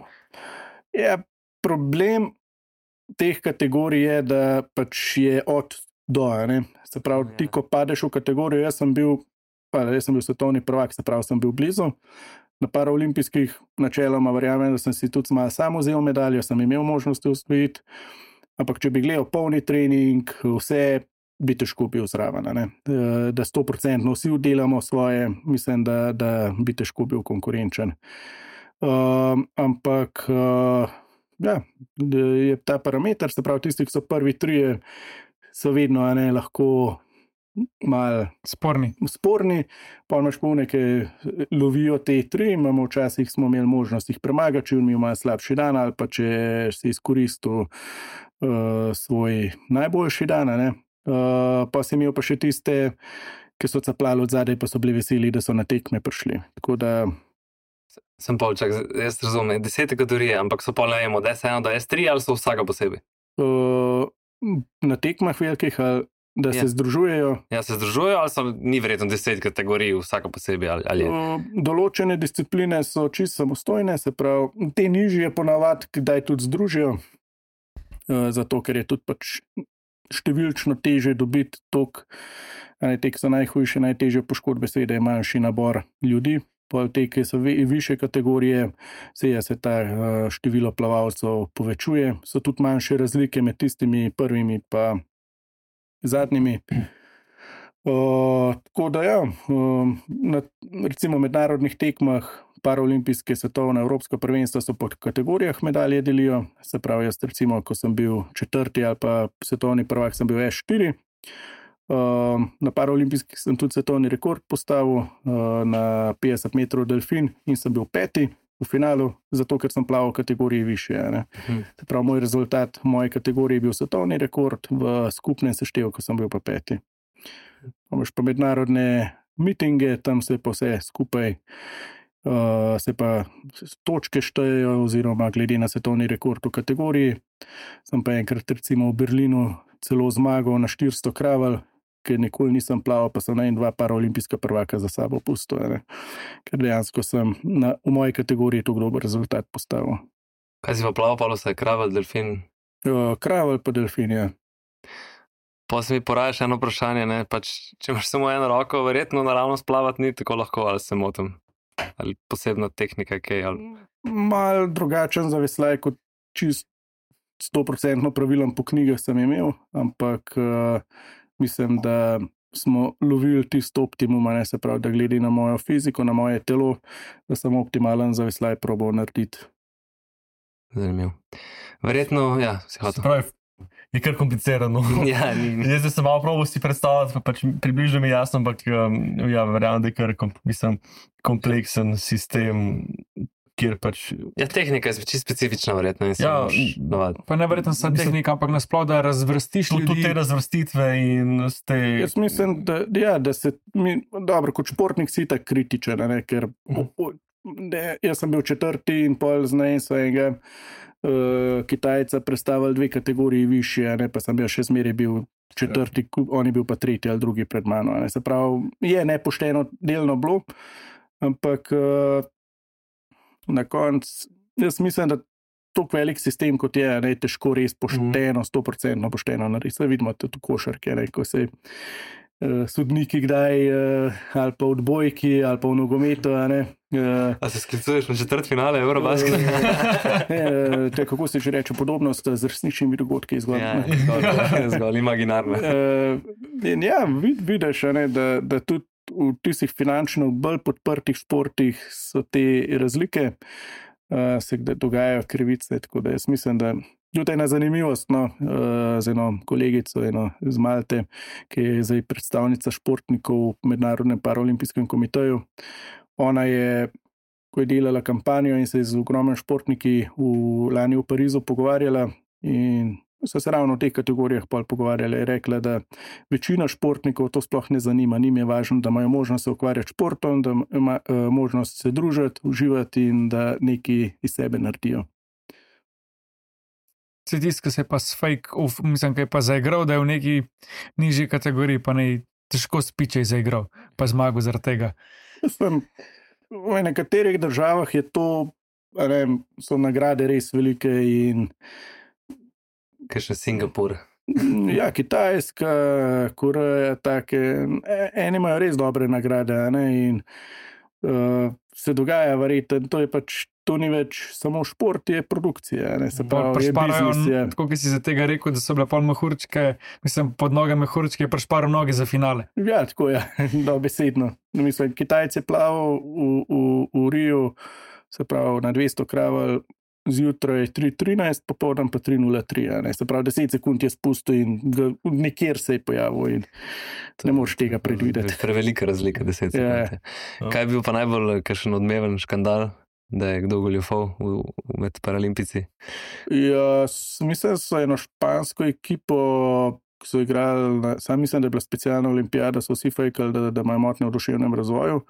Ja, problem teh kategorij je, da pač je od do, ne. Se pravi, ti, ko padeš v kategorijo, jaz sem bil, pa, jaz sem bil svetovni prvak, se pravi, sem bil blizu. Na paraolimpijskih načeloma verjamem, da sem si tudi malo sam vzel medaljo, sem imel možnosti osvojiti. Ampak če bi gledal polni trening, vse bi težko bil zraven, ne? Da sto procentno vsi delamo svoje, mislim, da, da bi težko bil konkurenčen. Uh, ampak uh, ja, je ta parameter, se pravi, tisti, ki so prvi trije, so vedno ne, lahko malo sporni. sporni, pa imaš polne, ki lovijo te tri, imamo včasih smo imeli možnost jih premagati, če mi imajo slabši dan ali pa če si izkoristil uh, svoj najboljši dan, ne. Uh, pa si imel pa še tiste, ki so caplali od zadaj, pa so bili veseli, da so na tekme prišli. Tako da sem polčak, jaz razumem, deset kategorije, ampak so pol najemo od S ena do S tri ali so vsaka posebej? Uh, na tekmah velikih, ali da se ja. združujejo. Ja, se združujejo, ali so ni verjetno deset kategorij vsaka posebej? Ali, ali uh, določene discipline so čisto samostojne, se pravi, te nižje ponavadi, kdaj tudi združijo, uh, zato ker je tudi pač številčno teže dobiti tok, te, ki so najhujše, najtežje poškodbe, seveda je manjši nabor ljudi, pa te, ki so više kategorije, seveda se ta število plavalcev povečuje, so tudi manjše razlike med tistimi prvimi pa zadnjimi. Uh, tako da ja, uh, na recimo mednarodnih tekmah, paraolimpijske, svetovne, evropska prvenstva so po kategorijah medalje delijo, se pravi, jaz recimo, ko sem bil četrti ali pa svetovni prvak, sem bil S štiri. Uh, na paraolimpijskih sem tudi svetovni rekord postavil uh, na petdeset metrov delfin in sem bil peti v finalu, zato ker sem plaval v kategoriji više. Ne. Mhm. Se pravi, moj rezultat v moji kategoriji je bil svetovni rekord, v skupnem seštevku sem bil pa peti. Imaš pa mednarodne mitinge, tam se pa vse skupaj, uh, se pa točke štejejo, oziroma glede na svetovni rekord v kategoriji. Sem pa enkrat recimo v Berlinu celo zmagal na štiristo kravelj, ker nikoli nisem plaval, pa sem na en dva paraolimpijska prvaka za sabo pustil. Ne. Ker dejansko sem na, v moji kategoriji tako dober rezultat postavil. Kaj si pa plaval, pa vse kravelj, delfin? Uh, kravelj pa delfin, ja. Pa se mi poraja še eno vprašanje, ne, pač, če imaš samo eno roko, verjetno naravnost plavati ni tako lahko, ali se motim? Ali posebna tehnika, kaj? Ali... Mal drugačen zaveslaj, kot čist sto procentno pravilen po knjigah sem imel, ampak uh, mislim, da smo lovili tisto optimum, ne, se pravi, da glede na mojo fiziko, na moje telo, da sem optimalen zaveslaj probal narediti. Zanimivo. Verjetno, ja, si hotel. Je kar komplicirano. Ja, ni... Jaz sem malo probal si predstavljati, pa pač približno mi jasno, ampak ja, verjamem, da je kar kom, mislim, kompleksen sistem, kjer pač... Ja, tehnika je čisto specifična, verjetno. Ja, pa ne verjetno sa tehnika, ampak nasploh, da razvrstiš ljudi. Tudi te razvrstitve in ste... Jaz mislim, da, ja, da se... Mi, dobro, kot športnik si tak kritičen, ne, ker... Ne, jaz sem bil četrti in pol znaj svojega uh, Kitajca predstavil dve kategoriji više, ne, pa sem jaz še zmeraj bil četrti, on je bil pa tretji ali drugi pred mano. Ne. Se pravi, je nepošteno delno bilo, ampak uh, na koncu, jaz mislim, da tako velik sistem, kot je, ne, je težko res pošteno, sto procentno pošteno narediti. Se vidimo tudi v košarki, ne, ko se uh, sodniki kdaj, uh, ali pa v odbojki, ali pa v nogometu. Ne, uh, A se sklicuješ na četrt finale Eurobasket? uh, te, kako se že reče, podobnost z resničnimi dogodki zgolj. Ja, zgolj, zgolj imaginarno. Uh, in ja, vid, vidiš, ne, da, da tudi v tistih finančno bolj podprtih športih so te razlike, uh, se kdaj dogajajo krivice, tako da jaz mislim, da tudi ena zanimivost, no, uh, z eno kolegico, eno z Malte, ki je zdaj predstavnica športnikov v Mednarodnem paraolimpijskem komiteju. Ona je, ko je delala kampanjo in se je z ogromnimi športniki v lani v Parizu pogovarjala in so se ravno v teh kategorijah pol pogovarjali, je rekla, da večina športnikov to sploh ne zanima, njim je važno, da imajo možnost se ukvarjati športom, da ima uh, možnost se družiti, uživati in da nekaj iz sebe naredijo. Se tisti, ki se je pa s fake, uf, mislim, ki je pa zaigral, da je v neki nižji kategoriji, pa ne težko spiče zaigral, pa zmagal zaradi tega. Vem, v nekaterih državah je to, ne, so nagrade res velike in Kaj še Singapur? ja, Kitajska, Koreja, take, eni imajo res dobre nagrade, ne, in uh, se dogaja verjetno, to je pač, to ni več samo šport, je produkcija, ne, se pravi, je biznis, je. Tako, ki si za tega rekel, da so bile pol mehurčke, mislim, pod noge mehurčke, je prešparal noge za finale. Ja, tako je, dobesedno. Mislim, Kitajce plaval v, v, v Riju, se pravi, na dvesto kraval, zjutraj tri trinajst, popoldan pa tri nula tri, ne, se pravi, deset sekund je spustil in nekjer se je pojavil in ne moreš tega predvideti. Prevelika razlika, deset sekund. Ja. Kaj je bil pa najbolj kakšen odmeven škandal, da je kdo goljufal v, v med paralimpici? Ja, mislim, da so eno špansko ekipo, ki so igrali, na, sam mislim, da je bila specialna olimpijada, so vsi fejkali, da, da imajo motnje v duševnem razvoju.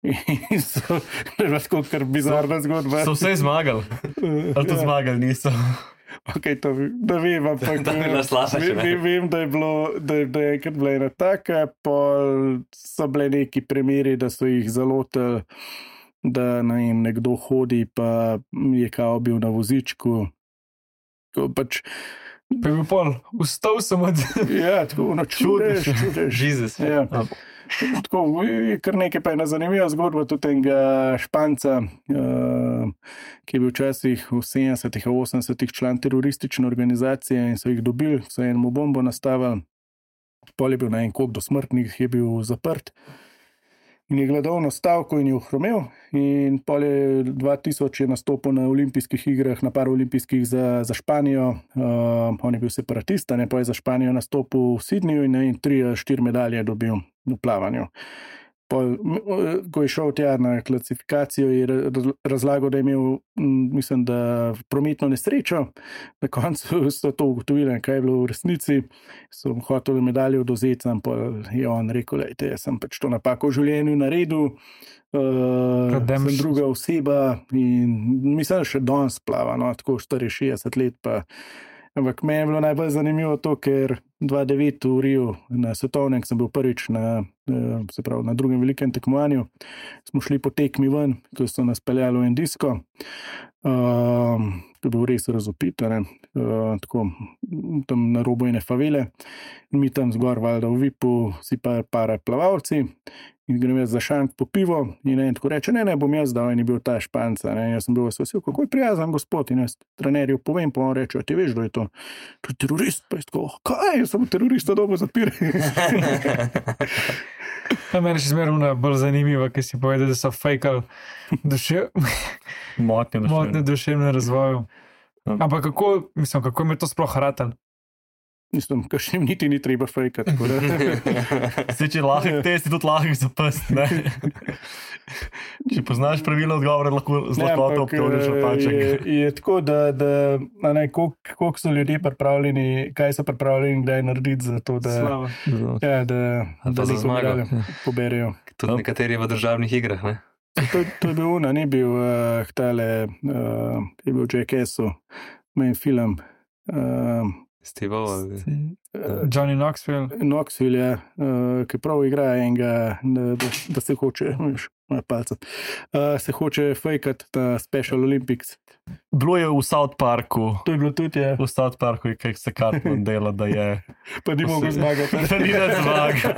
In so, to je tako kar bizarna zgodba. So vse zmagali, ali to Ja. zmagali niso. Ok, to da vem, ampak Da bi nas lažje, vem, ne? vem, vem, da je bilo, da je, da je enkrat bila ena taka, pol so bile neki primeri, da so jih zalotili, da ne vem, nekdo hodi, pa je kao bil na vozičku. Tako pač, Pa je bil pol, vstal sem od... ja, tako ono čudeš, čudeš. Jezus. Ja. Tako, je kar nekaj pa je ena zanimiva zgodba tudi enega Španca, uh, ki je bil včasih v sedemdesetih, osemdesetih član teroristične organizacije in so jih dobili, so enemu bombo nastavili, pol je bil na en kop do smrtnih, je bil zaprt in je gledovno stavko in je ohromel in pol je dva tisoč je nastopil na olimpijskih igrah, na paraolimpijskih za, za Španijo, uh, on je bil separatist, ne, pa je za Španijo nastopil v Sydneyju in, in tri, štiri medalje dobil v plavanju. Pol, ko je šel tja na klasifikacijo, je razlagal, da je imel, mislim, da prometno nesrečo. Na koncu so to ugotovili, kaj je bilo v resnici. So hoteli medaljo odvzeti, ampak je on rekel, da sem pač to napako v življenju naredil. Uh, sem druga oseba in mislim, da še danes plava, no, tako štiriinšestdeset let pa. Ampak meni je bilo najbolj zanimivo to, ker dva tisoč devet v Riju na svetovnem, sem bil prvič na, se pravi, na drugem velikem tekmovanju, smo šli po tekmi ven, ko so nas peljali v en disko. Um, to je bil res razopit, ne, uh, tako tam na robu ene favele in mi tam zgor valjda v vipu si pa par plavalci in grem jaz za šank po pivo in en tako reče, ne, ne, bom jaz dal in je bil ta Španca, ne, jaz sem bil vesel, kako je prijazen gospod in jaz trenerju povem, pa on reče, ti veš, da je to, to je terorist, pa je tako, kaj, jaz sem terorista dobo zapir. A meni še zmerno bolj zanimivo, ker si povedal, da so fejkali duše... Motnje duševne. motnje duševne razvoju. Ampak kako, mislim, kako je to sploh ratal? Mislim, kakšnim niti ni treba fejkati. Zdaj, če lahko test, je tudi lahko zapust, ne? Če poznaš pravilo odgovore, lahko z lahkoto obtožiš napaček. Je, je tako, da, da a ne, koliko, koliko so ljudje pripravljeni, kaj so pripravljeni, kdaj narediti za to, da, Slava. ja, da, Ali pa da za neko zmago. medaljo poberejo. Tudi nekateri v državnih igrah, ne? To, to je bil ona, ni bil uh, tale, uh, je bil v Jackassu, main film. Uh, Steve, Johnny Knoxville. Knoxville je, uh, ki prav igra enega, da, da, da se hoče, veš, moja palca, uh, se hoče fejkati na Special Olympics. Bilo je v South Parku. To je bilo tudi, je. V South Parku je kaj se Cartman dela, da je... Pa ni mogel zmagati. Da ni da zmagal.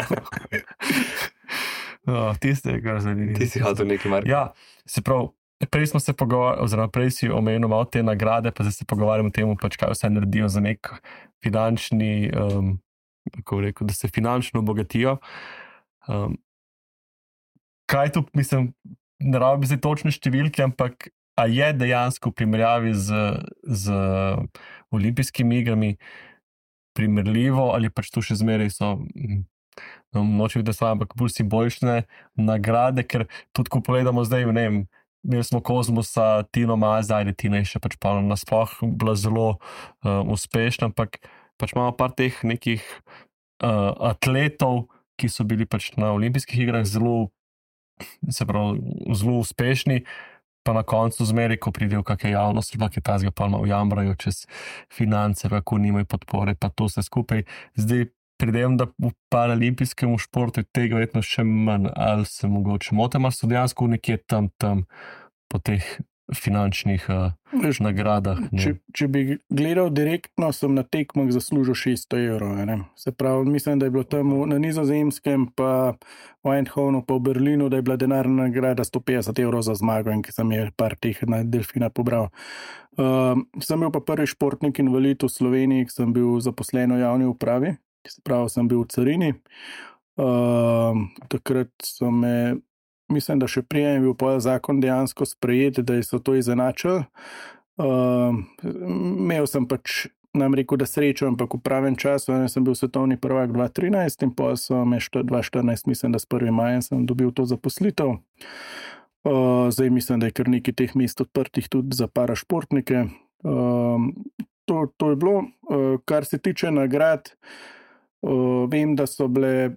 No, tiste, kar zanimivo. Ti si hotel neki mark. Ja, se prav, prej smo se pogovarjali, oziroma prej si omenil malo te nagrade, pa zdaj se pogovarjamo o tem, pač kaj vse naredijo za nek finančni, um, kako rekel, da se finančno obogatijo. Um, kaj tu, mislim, ne rabi zdaj točne številke, ampak a je dejansko v primerjavi z, z olimpijskimi igrami primerljivo ali pač tu še zmeraj so, no, nočem videti sva, ampak bolj simbolične nagrade, ker tudi ko pogledamo zdaj, ne vem, imeli smo Kozmosa, Tino Maze, ajde Tina je še pač pa nasploh bila zelo uh, uspešna, ampak pač imamo par teh nekih uh, atletov, ki so bili pač na olimpijskih igrah zelo, se pravi, zelo uspešni, pa na koncu zmeri, ko pridejo kakšne javnosti, pa ki tazga pa malo jamrajo čez finance, kako nimajo podpore, pa to vse skupaj. Zdaj pridem, da v paralimpijskem športu tega verjetno še manj, ali se mogoče motim, ali so dejansko nekje tam, tam po teh finančnih uh, Veš, nagradah. Če, če bi gledal direktno, sem na tekmah zaslužil šeststo evrov. Ne? Se pravi, mislim, da je bilo tam na Nizozemskem, pa v Eindhovenu, pa v Berlinu, da je bila denarna nagrada sto petdeset evrov za zmago in ki sem je par teh na delfina pobral. Uh, sem bil pa prvi športnik invalid v Sloveniji, ki sem bil zaposlen v javni upravi, se pravi, sem bil v carini. Uh, takrat so me Mislim, da še prej je bil pa zakon dejansko sprejet, da so to izenačili. Uh, imel sem pač, nam rekel, da srečo, ampak v pravem času, ne, sem bil svetovni prvak dva tisoč trinajst in pa so me dva tisoč štirinajst, mislim, da s prvim majem sem dobil to zaposlitev. Uh, zdaj mislim, da je kar nekaj teh mest odprtih tudi za parašportnike. Uh, to, to je bilo. Uh, kar se tiče nagrad, uh, vem, da so bile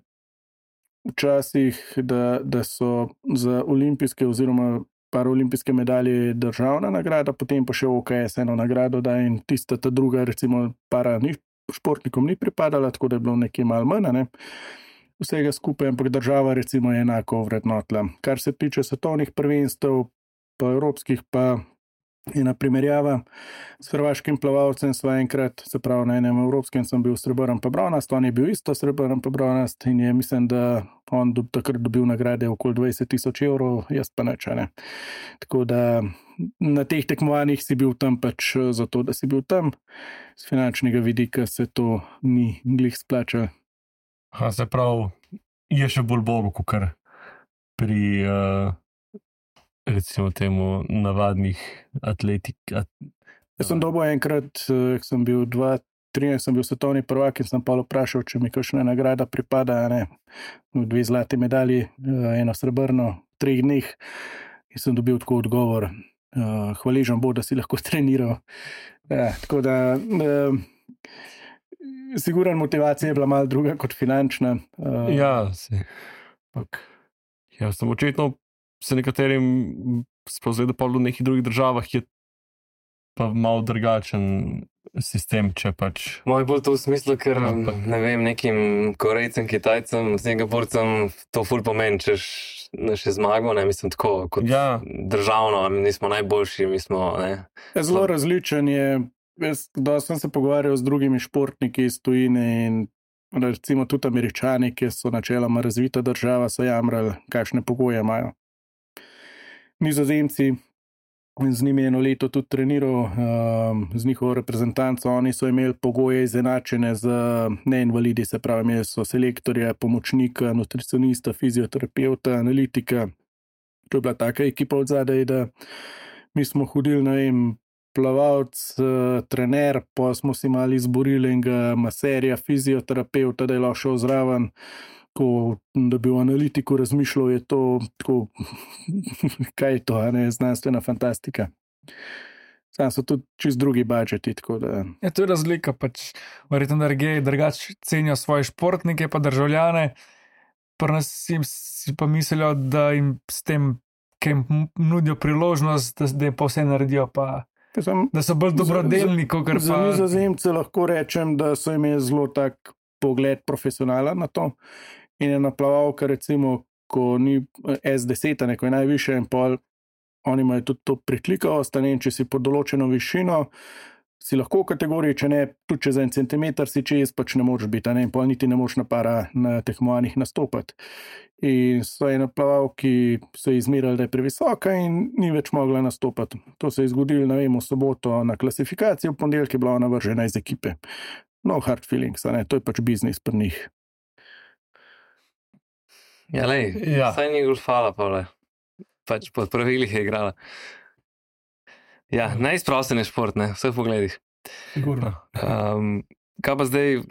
včasih, da, da so za olimpijske oziroma paraolimpijske medalje državna nagrada, potem pa še O K S eno nagrado, da in tista ta druga, recimo para ni, športnikom ni pripadala, tako da je bilo nekaj malo manj, ne? Vsega skupaj, ampak država recimo je enako vrednotila. Kar se tiče svetovnih prvenstev, pa evropskih, pa ena primerjava s hrvaškim plavalcem sva enkrat, se pravi na enem evropskem sem bil srebrn pa bronast, on je bil isto srebrn pa bronast in je mislim, da on do, takrat dobil nagrade okoli dvajset tisoč evrov, jaz pa neč, ne. Tako da na teh tekmovanjih si bil tam pač zato, da si bil tam, z finančnega vidika se to ni glih splačalo. Ha, se pravi, je še bolj bogo, kakor pri uh... recimo temu navadnih atletik. At... Jaz sem dobil enkrat, ko sem bil dva tisoč trinajst, sem bil svetovni prvak in sem pa vprašal, če mi kakšna nagrada pripada, ne, dve zlati medalji, eno srebrno, v treh dneh in sem dobil tako odgovor, hvaležen bo, da si lahko treniral. Ja, tako da sigurno motivacija je bila malo druga kot finančna. Ja, se. Pak, ja, sem očitno se nekaterim spozvedal pa v nekih drugih državah je pa malo drugačen sistem, če pač... Moj bolj to v smislu, ker ne vem, nekim Korejcem, Kitajcem, Singapurcem to ful pomeni, češ še zmago, ne, mislim tako, kot ja. Državno, mi smo najboljši, mi smo, ne. Zelo različen je, jaz dosti sem se pogovarjal z drugimi športniki iz tujine in recimo tudi Američani, ki so načeloma razvita država, so jamrali, kakšne pogoje imajo. Nizozemci, z njimi eno leto tudi treniral, z njihovo reprezentanco, oni so imeli pogoje izenačene z neinvalidi, se pravi, imeli so selektorja, pomočnika, nutricionista, fizioterapeuta, analitika. To je bila taka ekipa od zadaj, da mi smo hodili, ne vem, plavalc, trener, pa smo si malo izborili enega maserja, fizioterapeuta, da je lahko šel zraven. Ko, da bi v analitiku razmišljal, je to tako, kaj je to, ne, znanstvena fantastika. Sam so tudi čist drugi budžeti, tako da... Ja, to je razlika, pač verjetno drugi drugače cenijo svoje športnike pa državljane, pri nas si pa mislijo, da jim s tem, ki jim nudijo priložnost, da, da pa vse naredijo, pa Sem, da so bolj dobrodelni, kot pa... Za Nizozemce lahko rečem, da so imeli zelo tak pogled profesionalen na to in je naplavalka, recimo, ko ni S deset, neko je najviše in pol, oni imajo tudi to preklikavost, ne, če si pod določeno višino, si lahko v kategoriji, če ne, tudi čez en centimeter si čez, pač ne moreš biti, ne, in pol niti ne moreš na para na tekmovanjih nastopati. In so ena plavalki so izmerali, da je previsoka in ni več mogla nastopati. To se je zgodilo, ne vem, v soboto na klasifikaciji, v ponedeljek je bila ona vržena iz ekipe. No hard feelings, ne, to je pač biznis pri njih. Ja, lej, Ja. saj ni golfala, Pavle. Pač pod pravilih je igrala. Ja, najizprosten je šport, ne, v vseh pogledih. Sigurno. Um, kaj pa zdaj,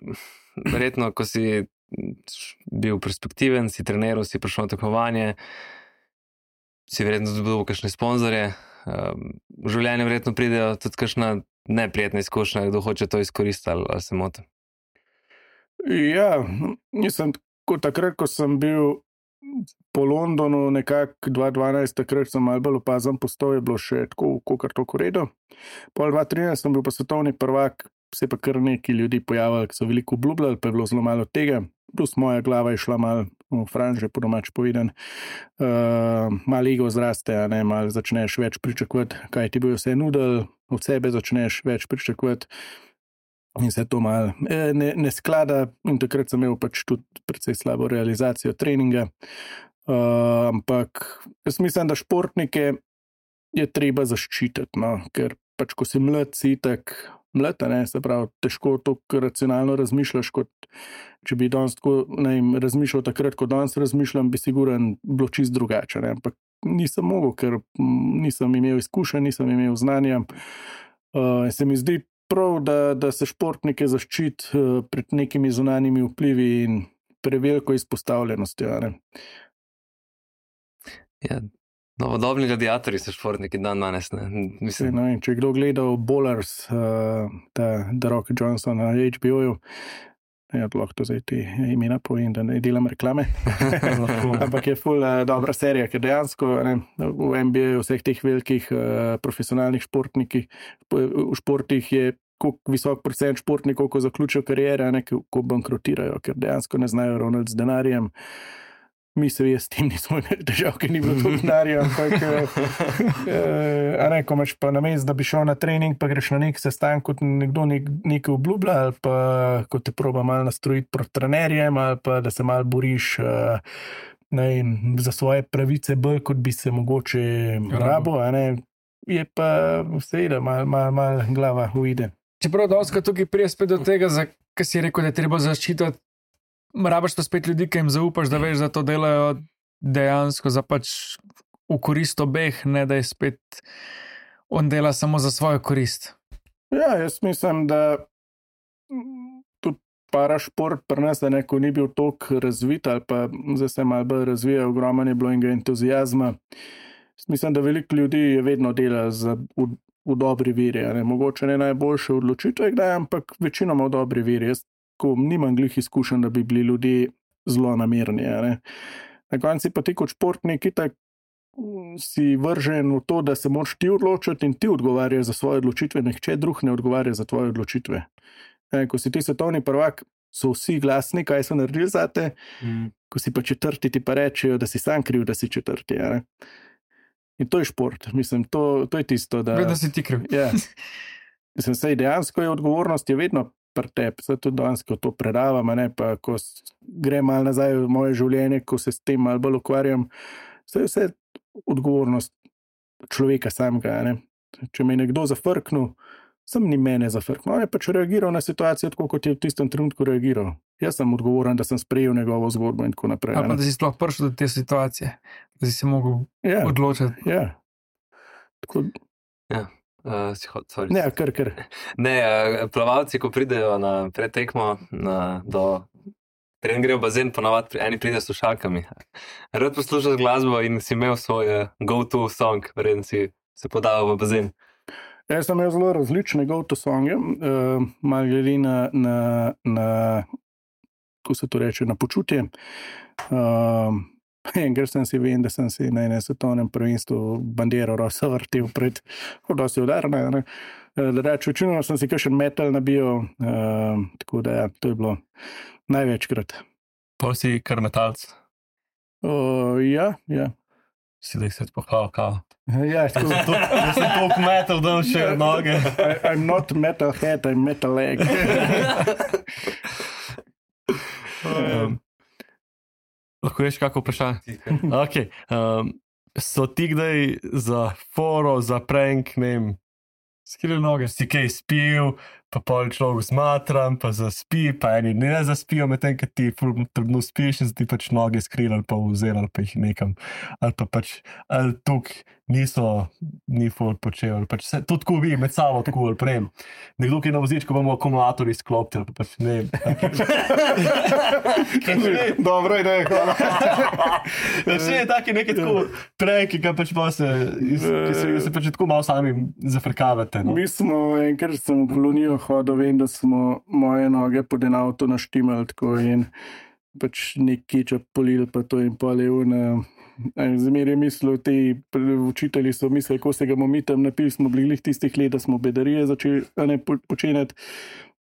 verjetno, ko si bil perspektiven, si treniral, si prišel na tekmovanje, si verjetno dobil kakšne sponzorje, um, v življenju verjetno pridejo tudi kakšna neprijetna izkušnja, kdo hoče to izkoristiti, ali, ali se motim. Ja, nisem tako takrat, ko sem bil po Londonu nekako dva tisoč dvanajst, takrat sem malo bolj opazen postal, je bilo še tako, kakor tako redo. Pol dva tisoč trinajst sem bil pa svetovni prvak, se pa kar neki ljudi pojavili, ki so veliko obljubljali, pa je bilo zelo malo tega, plus moja glava je šla malo v franže, po domač povedan. Uh, malo ego zraste, a ne, malo začneš več pričakovati, kaj ti bojo vse nudili, od sebe začneš več pričakovati. In se to malo ne, ne sklada, in takrat sem imel pač tudi precej slabo realizacijo treninga. Uh, ampak jaz mislim, da športnike je treba zaščititi, no? Ker pač ko si mlad, si tak mlad, ne, se pravi, težko toliko racionalno razmišljaš, kot če bi danes tako, ne vem, razmišljal takrat, ko danes razmišljam, bi siguren bilo čist drugače, ne? Ampak nisem mogel, ker nisem imel izkušenj, nisem imel znanja. Uh, se mi zdi prav, da, da se športnike zaščiti uh, pred nekimi zunanjimi vplivi in preveliko izpostavljenostjo. Ne? Ja, novodobni gladiatorji so športniki dan danes, ne. Mislim, No, in če je kdo gledal Bowlers, uh, ta The Rock Johnson na H B O-ju, ja, lahko to zdaj ti imena povem, da ne delam reklame, ampak je ful uh, dobra serija, ker dejansko ne, v N B A-ju vseh teh velikih uh, profesionalnih športnikih, v športih je koliko visok procent športnikov, ko zaključijo kariere, ne, ko bankrotirajo, ker dejansko ne znajo ravnati z denarjem. Misel je, s tem nismo imeli težav, ker ni bilo to denarja, ampak eh, a ne, ko imaš pa namesto, da bi šel na trening, pa greš na nek sestanek, kot nekdo nek, nekaj obljublja, ali pa ko te proba malo nastrojiti proti trenerjem, ali pa da se malo boriš eh, ne, za svoje pravice bolj, kot bi se mogoče rabo, a ne, je pa seveda malo mal, mal glava uide. Čeprav doska tukaj prije spet do tega, kar si rekel, da je treba zaščititi, rabaš pa spet ljudi, ki jim zaupaš, da veš, da to delajo dejansko za pač v korist obeh, ne da je spet on dela samo za svojo korist. Ja, jaz mislim, da tudi parašport pri nas, da neko ni bil toliko razvit ali pa zdaj se malo bolj razvija, ogromno je bilo enega entuzijazma. Jaz mislim, da veliko ljudi je vedno dela za, v, v dobri veri, ne? Mogoče ne najboljše odločitve, kdaj, ampak večinoma v dobri veri. Jaz ko nimam glih izkušen, da bi bili ljudje zelo namerni. Ne? Na konci pa ti kot športnik itak si vržen v to, da se moraš ti odločiti in ti odgovarjaš za svoje odločitve, nihče drug ne odgovarja za tvoje odločitve. Ne? Ko si ti svetovni prvak, so vsi glasni, kaj so naredili zate, mm. Ko si pa četrti, ti pa rečejo, da si sam kriv, da si četrti. Ne? In to je šport, mislim, to, to je tisto, da... Vedno si ti kriv. Ja. Mislim, sej dejansko je odgovornost je vedno pri tebi, zato danes, ko to predavam, ne, pa ko grem malo nazaj v moje življenje, ko se s tem malo bolj ukvarjam, vse je vse odgovornost človeka samega. Ne. Če me je nekdo zafrknil, sem ni mene zafrknil, on je pač reagiral na situacijo tako, kot je v tistem trenutku reagiral. Jaz sem odgovoren, da sem sprejel njegovo zgodbo in tako naprej. A pa da si sploh prišel do te situacije, da si se mogel ja. odločiti. Ja. Tako... Ja. Uh, hod, ne, kar, kar. Ne, uh, plavalci, ko pridejo na pretekmo, na, do trening grejo v bazen, ponavadi eni pridejo s slušalkami. Rad poslušaš glasbo in si imel svoj uh, go-to song, verjetno si se podal v bazen. Jaz sem imel zelo različne go-to songe, uh, malo glede na, na, na, ko se to reče, na počutje. Uh, Enkrat sem si vem, da sem si na enem svetovnem prvenstvu bandero rosa vrtel pred, dosti udarna. Ne. Reč, večino sem si kakšen metal nabil, uh, tako da ja, to je bilo največkrat. Pa si kar metalc. Uh, ja, ja. Si da jih se pohval, kao. Ja, tako. Jaz sem toliko metal, da imam še noge. I, I'm not metal head, I'm metal leg. um, lahko ješ kako vprašanje? Okay. Um, so ti kdaj za foro, za prank, ne vem, Skrile noge. si kaj spil, pa pol človek zmatram, pa zaspi, pa eni ne zaspijo, medtem, ker ti ful trdno spiš in ti pač noge skrili ali pa vzeli ali pa jih nekam. Ali pa pač, ali tuk niso, ni ful počel, ali pač se, to tako vi med sabo tako ali prejem. Nekdo, ki je na vozičku, bomo akumulator izklopiti, ali pa pač ne vem. Dobro ideja, hvala. Vse je taki neki tako prank, ki pač pa se, iz, ki se, se pač tako malo sami zafrkavate. No? Mi smo, enkrat sem v kolonijo hodil, vem, da smo moje noge pod en avto naštimali tako in pač nek kečap polil, pa to in pol je un. Zmeraj mislil, ti učitelji so mislili, ko se ga bomo mi tam napili, smo bili glih tistih let, da smo bedarije začeli ne, počenjati.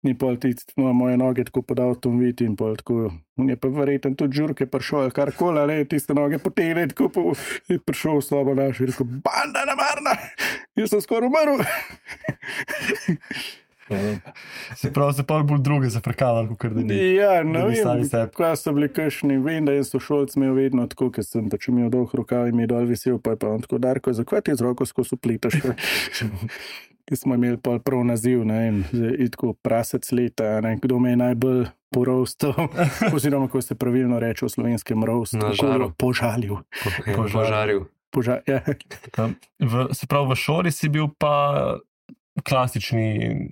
In pol ti no, moje noge tako pod avtom videti in pol tako, je pa verjetno tudi žurke prišel, ali karkoli, ali tiste noge potegne, tako po, je prišel v sobo naš in rekel, banda namarna, jaz sem skoraj umrl. Se pravi, se pa bolj druge zafrkavali, kot da ni. Ja, ne da bi sami vem, sebi. kaj so bili kakšni, vem, da je sošolc imel vedno tako, ker sem pač imel dolg rokav in mi je dol visel, pa je pa on tako, Darko, zakaj ti z roko skozi upletaš? Ki smo imeli pol prav naziv, ne vem, in tako prasec leta, ne, kdo me je najbolj porostal, oziroma, ko se pravilno reče v slovenskem rostu, Na žaru. požalil. Požaril. Poža, ja. Um, v, se pravi, v šoli si bil pa klasični,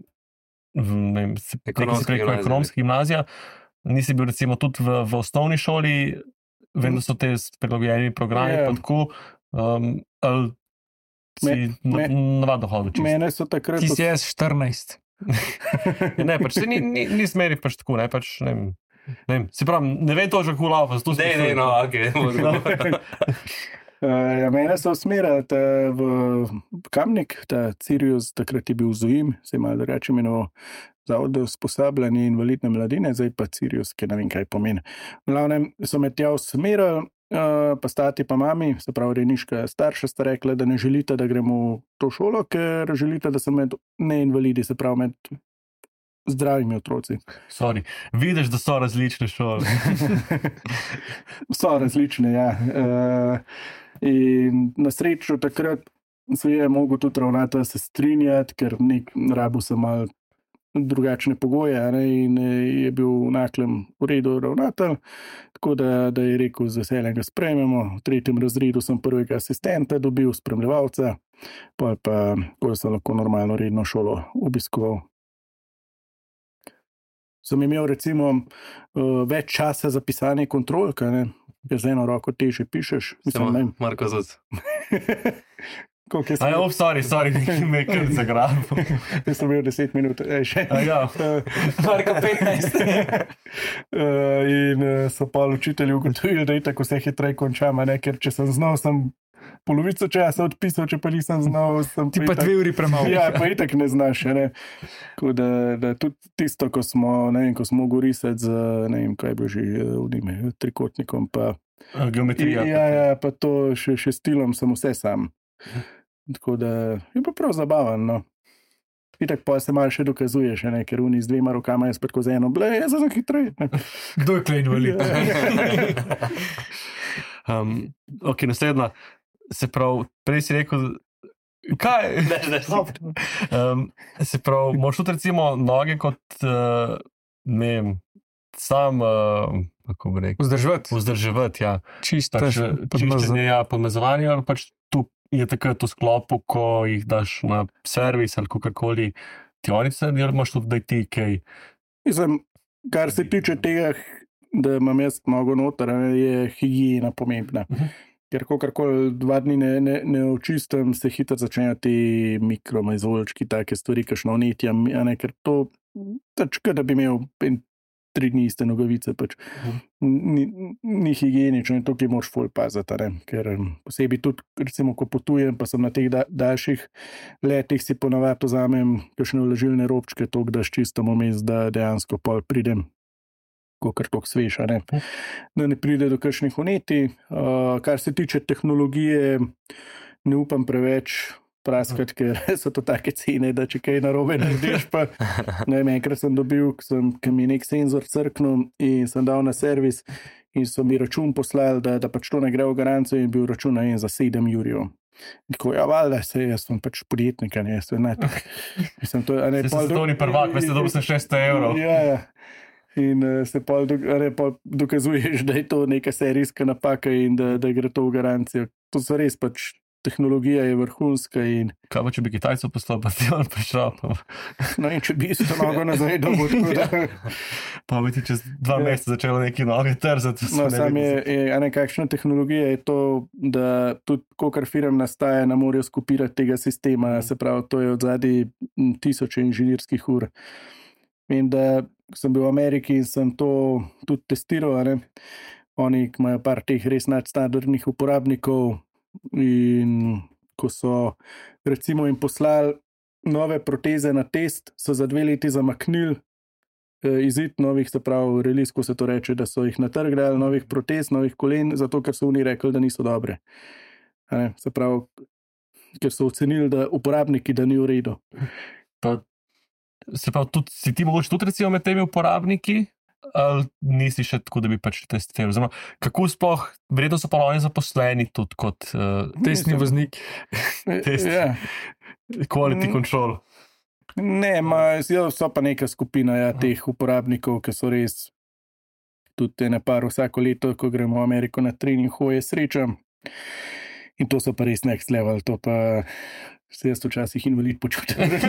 v, ne vem, se- Ekonomska nekaj si rekel, gimnazija. ekonomska gimnazija. Nisi bil recimo tudi v, v osnovni šoli, vem, da so te s prilagojeni programi, Ja. pa tako, um, ali si Me- na- me- navadno hodil čisto. Mene so takrat... Ti si jaz štirinajst. Ja, ne, pač se ni, ni, ni smeri pač tako, ne, pač, ne vem, ne vem, se pravi, ne vem to že kulava, zato Ne, ne, no, ok. Uh, ja, mene so usmerjali ta v Kamnik, ta Sirius, takrat je bil Zujim, se je malo drugače imenoval, Zavod za usposabljanje invalidne mladine, zdaj pa Sirius, ki ne vem, kaj pomeni. V glavnem so me tja usmerjali, uh, pa stati pa mami, se pravi rejniška starša, sta rekla, da ne želite, da gremo v to šolo, ker želite, da sem med neinvalidi, se pravi med zdravimi otroci. Sorry, vidiš, da so različne šole. So različne, ja. Uh, in na srečo takrat se je mogel tudi ravnatelj se strinjati, ker nek rabu sem mal drugačne pogoje, a ne, in je bil v naklem v redu ravnatelj, tako da, da je rekel, z veseljem ga sprejmemo. V tretjem razredu sem prvega asistenta dobil, spremljevalca, pa pa, ko sem lahko normalno redno šolo obiskoval. Sem imel recimo uh, več časa za pisanje kontrolk, a ne, ker z eno roko teže pišeš. Mislim, ne vem. Marko Zuc. Koliko je Aj, sem, oh, sorry, sorry, me je kar zagrabil. jaz sem imel deset minut, ej, še. A ja. Marko petnajst. Uh, in uh, so pa učitelji ugotovili, da je tako vse hitreje končam, a ne, ker če sem znal, sem polovico časa odpisal, če pa nisem znal, sem Ti pa dve uri premalo. Ja, pa itak ne znaš, a ne. Tako da, da tudi tisto, ko smo, ne vem, ko smo mogli risati z, ne vem, kaj bo že v njime, trikotnikom, pa Geometrija. ja, ja, pa to še, še stilom sem vse sam. Tako da je pa prav zabaven, no. Itak pa se malo še dokazuješ, a ne, ker oni z dvema rokama, jaz pa tako z eno, ble, jaz sem hitrej. Kdo je klej invalid? Um, ok, naslednja. Se pravi, prej si rekel, kaj? um, se pravi, moraš tudi recimo noge kot, uh, ne vem, sam, uh, kako bi rekel, Vzdrževati. vzdrževati, ja. Čisto. Pač, čiščenje, ja, podmazovanje, ali pač tu je takrat v sklopu, ko jih daš na servis ali kakorkoli ti oni se, ali imaš tudi, da ti kaj. Mislim, kar se tiče tega, da imam jaz nogo noter, a ne, je higiena pomembna. Mhm. Ker kakorkoli dva dni ne, ne, ne očistim, se hitro začnejo ti mikromazolčki, take stvari, kakšno vnetje, a ne, ker to, tač, da bi imel en tri dni iste nogavice. Pač. Ni, ni higienično in tukaj moraš ful paziti, ne? Ker posebej tudi, recimo, ko potujem, pa sem na teh da, daljših letih, si ponavadi vzamem kakšne vlažilne robčke, toliko da ščistam vmes, da dejansko pol pridem kakor toliko svež, ne? Da ne pride do kakšnih vnetij. Uh, kar se tiče tehnologije, ne upam preveč praskati, ker so to take cene, da če kaj narobe narediš, pa ne vem, enkrat sem dobil, ki mi je nek senzor crknil in sem dal na servis in so mi račun poslali, da, da pač to ne gre v garancijo in bil račun na en za sedem jurjev. Tako, ja, valjda, se jaz sem pač podjetnik, ne, jaz sem ne, mislim, to je... Se se to ni prvak, veste, dobil sem šeststo evrov. Ja, ja. In uh, se pol, do, ne, pol dokazuješ, da je to neka serijska napaka in da, da gre to v garancijo. To so res pač, tehnologija je vrhunska in... Kaj pa, če bi Kitajco poslal, pa ti on prišel? Pa... No in če bi isto nogo nazaj dobil, tako da... Pa bi ti čez dva ja. meseca začelo neki noge trzati. No, sam je, je, a ne, kakšna tehnologija je to, da tudi kokar firm nastaja, ne morajo skopirati tega sistema, se pravi, to je od zadnji tisoče inženirskih ur. In da sem bil v Ameriki in sem to tudi testiral, ne? Oni imajo par teh res nadstandardnih uporabnikov in ko so recimo jim poslali nove proteze na test, so za dve leti zamaknili eh, izid novih, se pravi, release, ko se to reče, da so jih natrgali, novih protez, novih kolen, zato ker so oni rekli, da niso dobre. Ne? Se pravi, ker so ocenili, da uporabniki, da ni v redu. Pa se pravi, tudi, si ti mogoče tudi recimo med temi uporabniki, ali nisi še tako, da bi pač testiral? Zdaj, kako sploh, vredno so pa oni zaposleni tudi kot uh, testni voznik, test, Ja. quality control? Ne, ma, so pa neka skupina ja, teh uporabnikov, ki so res tudi ene par vsako leto, ko gremo v Ameriko na trening, hoje srečam. In to so pa res next level, to pa se jaz včasih invalid počutim.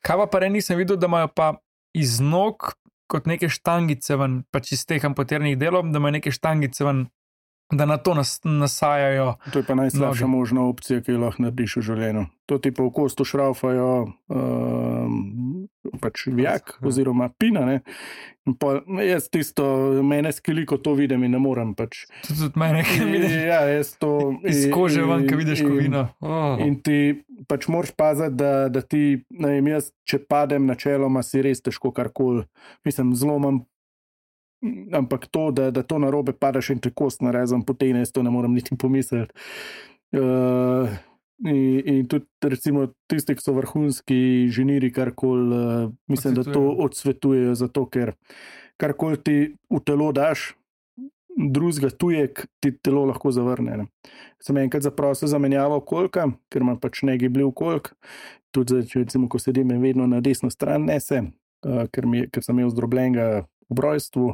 Kaj pa pa re nisem videl, da imajo pa iz nog kot neke štangice ven, pač iz teh amputiranih delov, da imajo neke štangice ven, da na to nas, nasajajo. To je pa najslabša noge. Možna opcija, ki jo lahko narediš v življenju. To ti pa v kostu šraufajo um, pač vijak oziroma pina, ne. In pa jaz tisto, mene skeli, ko to vidim in ne morem pač. Tudi od mene, ki vidiš. Ja, jaz to... Iz kože ven, ki vidiš kovino. Oh. In ti pač moraš paziti, da, da ti, ne vem, jaz, če padem načeloma, si res težko karkoli. Mislim, zlomam, ampak to, da, da to narobe padaš in te kost narezam potene, jaz to ne morem niti pomisliti. Uh, in, in tudi recimo tisti, ki so vrhunski inženiri, karkoli, uh, mislim, da to odsvetujejo, zato ker karkoli ti v telo daš, drugega tujek ti telo lahko zavrne. Ne. Sem enkrat zaprosil za menjavo kolka, ker imam pač negibljiv kolk, tudi če recimo, ko sedim vedno na desno stran nese, uh, ker, mi, ker sem imel zdrobljenega v brojstvu,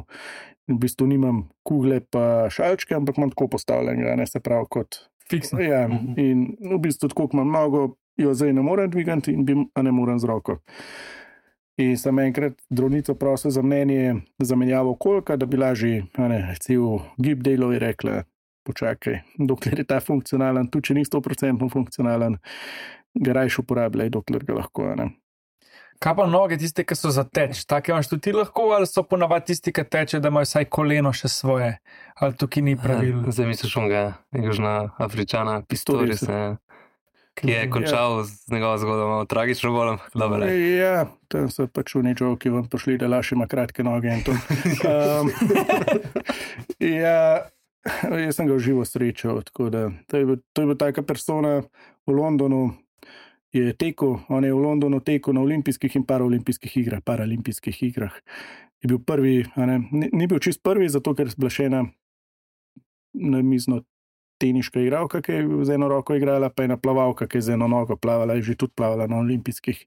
v bistvu nimam kugle pa šalčke, ampak imam tako postavljenega, ne, se pravi kot fiksno. Ja, in v bistvu tako, ko imam nogo, jo zdaj ne morem dvigati in bi, a ne morem z roko. In sem enkrat zdravnico prosil za mnenje za menjavo kolka, da bi lažje, a ne, cel gib delov je rekla, počakaj, dokler je ta funkcionalen, tudi če ni sto procentno funkcionalen, ga rajš uporabljaj, dokler ga lahko, a ne. Kaj pa noge, tiste, ki so za teč? Take imaš tudi ti lahko, ali so ponavadi tisti, ki teče, da imajo vsaj koleno še svoje? Ali tukaj ni pravil? Zdaj misliš onga, Južna Afričana, Pistorius, ki je končal ja. z njegovo zgodbo, malo tragično bolem. Dobre. Ja, tam so pač v nečo, ki vam pošli, da Laš ima kratke noge in to. Um, ja, jaz sem ga v živo srečal, tako da to je bil, to je bil taka persona v Londonu, je tekel, on je v Londonu tekel na olimpijskih in paraolimpijskih igrah, paralimpijskih igrah. Je bil prvi, a ne, ni, ni bil čist prvi, zato ker je bila še ena namizno teniška igralka, ki je z eno roko igrala, pa ena plavalka, ki je z eno nogo plavala, je že tudi plavala na olimpijskih.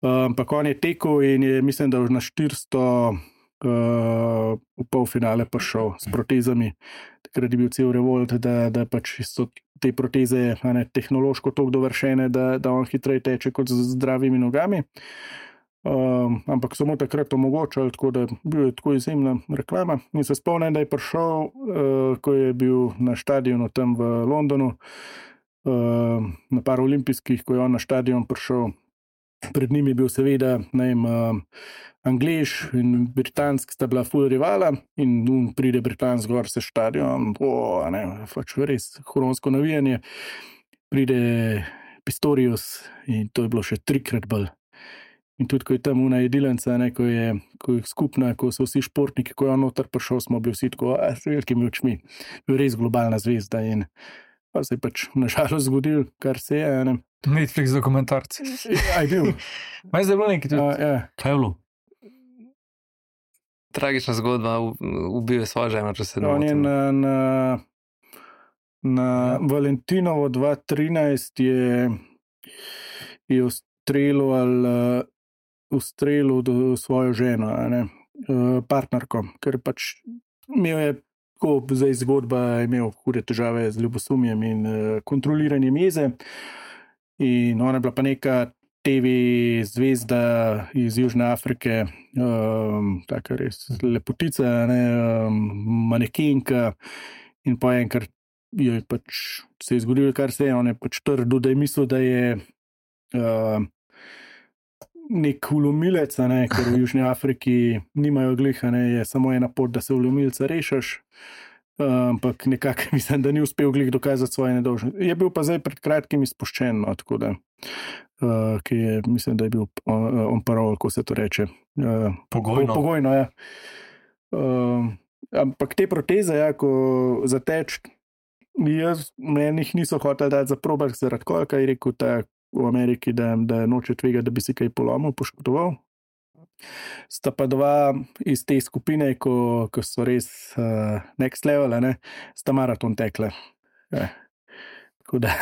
Ampak um, on je tekel in je, mislim, da na štiristo uh, v polfinale prišel s protezami. Takrat je bil cel revolt, da, da pač so te proteze ne, tehnološko toliko dovršene, da, da on hitreje teče kot z zdravimi nogami. Um, ampak so mu takrat omogočali, tako da bil je tako izjemna reklama. In se spomnim, da je prišel, uh, ko je bil na štadionu tam v Londonu, uh, na paraolimpijskih, ko je on na štadion prišel, Pred njimi je bil seveda, ne vem, uh, Anglež in Britansk sta bila ful rivala in um, pride Britansk gor se štadion, o, ne, pač res huronsko navijanje. Pride Pistorius in to je bilo še trikrat bolj. In tudi, ko je tam una jedilenca, ne, ko je, ko je skupna, ko so vsi športniki, ko je on noter prišel, smo bili vsi tako, a, s velikimi očmi. Res globalna zvezda in pa se je pač nažalost zgodil, kar se je, ne. Netflix dokumentarci. A je bil. Maj zdaj bilo nekaj tudi. A, ja. Kaj je bilo? Tragična zgodba, ubil je svojo ženo, če se ne On je motim. na, na, na Valentinovo dva tisoč trinajst je, je ustrelil ali uh, ustrelil do svojo ženo, a ne, uh, partnerko, ker pač imel je tako, zdaj zgodba, je imel hude težave z ljubosumjem in uh, kontroliranjem jeze in ona je bila pa neka T V zvezda iz Južne Afrike, um, taka res lepotica, ne, um, manekenka in pa enkrat je pač se je zgodilo, kar se je, on je pač trdil, da je mislil, da je uh, nek vlomilec, ne, ker v Južni Afriki nimajo gliha, ne, je samo ena pot, da se vlomilca rešiš, uh, ampak nekako mislim, da ni uspel glih dokazati svoje nedolžnosti. Je bil pa zdaj pred kratkim izpuščen, no, tako da Uh, ki je, mislim, da je bil on, on parol, ko se to reče. Uh, Pogojno. Po, pogojno, ja. Uh, ampak te proteze, ja, ko zateč, jaz, meni jih niso hoteli dati za probak, zaradi kolka je rekel ta v Ameriki, da, da noče tvega, da bi si kaj polomil, poškodoval. Sta pa dva iz te skupine, ko, ko so res uh, next level, ne, sta maraton tekle. Ja. Tako da.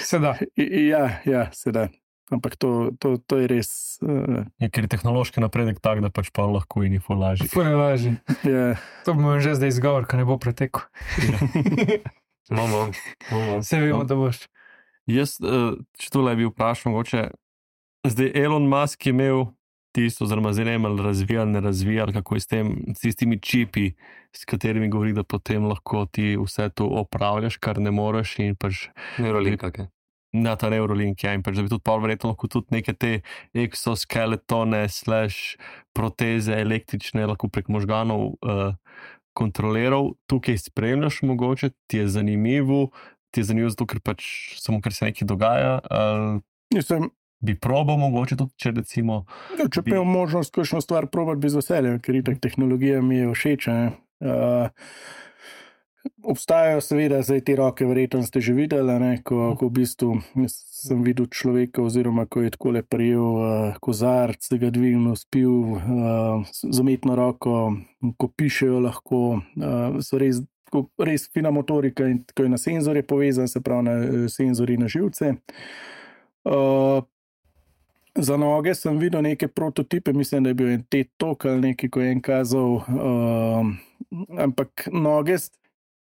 Seda. Ja, ja, seda. Ampak to, to, to je res. Uh, Je, ker je tehnološki napredek tak, da pač pa lahko in info laži. Ful ne važi. ja. To bomo že zdaj izgovor, ko ne bo pretekel. Mamo, mamo. Vse vemo, da boš. Jaz, uh, če tole bi vprašal, mogoče, zdaj Elon Musk je imel tisto, oziroma zdaj ne vem, ali razvijal, ne razvijal, kako je s tem, s tistimi čipi, s katerimi govori, da potem lahko ti vse to opravljaš, kar ne moreš in pač Neurolink, kakaj. na ta Neurolink, ja, in pač da bi tudi pa verjetno lahko tudi neke te exoskeletone slash proteze električne lahko prek možganov uh, kontroliral. Tukaj spremljaš mogoče, ti je zanimivo, ti je zanimivo zato, ker pač samo ker se nekaj dogaja, uh, Mislim, bi probal mogoče tudi, če recimo ja, če bi imel možnost kakšno stvar probati, bi z veseljem, ker itak tehnologija mi je všeč. Uh, obstajajo seveda zdaj te roke, verjetno ste že videli, ne, ko, ko v bistvu sem videl človeka, oziroma ko je takole prijel uh, kozarc, se ga dvignil, spil uh, z umetno roko, ko pišejo lahko, uh, so res, ko, res fina motorika in ko je na senzorje povezan, se pravi na senzori na živce. Uh, Za noge sem videl neke prototipe, mislim, da je bil en T E D Talk ali nekaj, ko je en kazal, uh, ampak noge,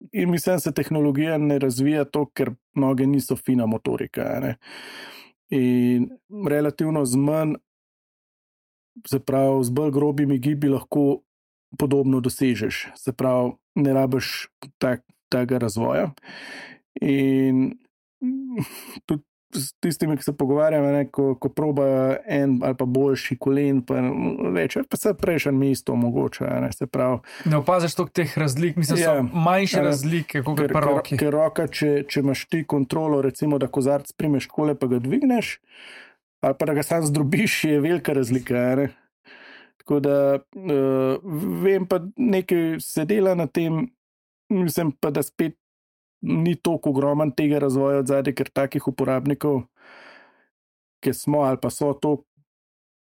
in mislim, da se tehnologija ne razvija to, ker noge niso fina motorika. Ne? In relativno z manj, se pravi, z bolj grobimi gibi lahko podobno dosežeš, se pravi, ne rabiš tak, takega razvoja. In tudi s tistimi, ki se pogovarjamo, ne, ko, ko proba en ali pa boljši kolen, pa več, pa se prejšnje mesto omogoča, ne, se pravi. Ne opaziš toliko teh razlik, mislim, Ja, so manjše ja, razlike, kot Ker, pri ker, roki. ker roka, če, če imaš ti kontrolo, recimo, da kozarc primeš kole, pa ga dvigneš, ali pa da ga sam zdrobiš, je velika razlika. Ne? Tako da uh, vem pa nekaj se dela na tem, mislim pa, da spet ni toliko ogroman tega razvoja od zadaj, ker takih uporabnikov, ki smo ali pa so to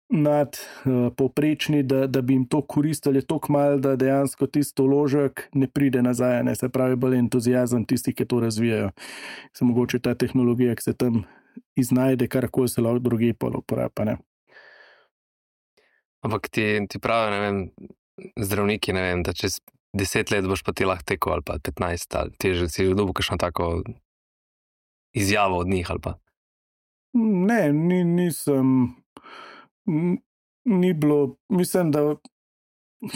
nad uh, povprečni, da, da bi jim to koristili toliko malo, da dejansko tisto vložek ne pride nazaj, ne, se pravi bolj entuzijazem tistih, ki to razvijajo. Se mogoče ta tehnologija, ki se tam iznajde, karkoli se lahko drugi pol uporablja. Ampak ti, ti pravijo, ne vem, zdravniki, ne vem, da čez deset let boš pa ti lahko tekel, ali pa petnajst, ali ti že si dobil kakšno tako izjavo od njih, ali pa. Ne, ni, nisem, ni bilo, mislim, da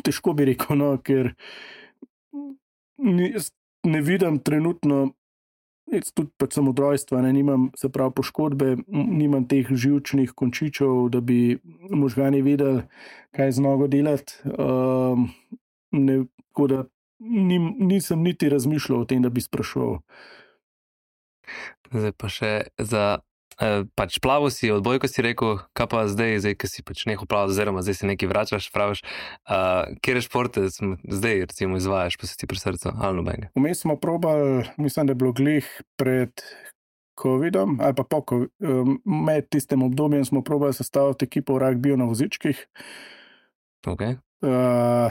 težko bi rekel, no, ker ni, ne vidim trenutno jaz tudi pač sem od rojstva, ne, nimam, se pravi, poškodbe, nimam teh živčnih končičev, da bi možgani vedeli, kaj z nogo delati. Um, ne, tako da nim, nisem niti razmišljal o tem, da bi sprašoval. Zdaj pa še za, eh, pač plavo si, odbojko si rekel, kaj pa zdaj, zdaj, ki si pač nehal plavati, oziroma zdaj si nekaj vračaš, praviš, uh, kjer športe zdaj recimo izvajaš, pa si ti pri srcu, ali nobenega? Vmes smo probali, mislim, da je bilo glih pred covidom, ali pa po covidu, med tistem obdobjem smo probali sestaviti ekipo v ragbiju na vozičkih. Ok. Uh,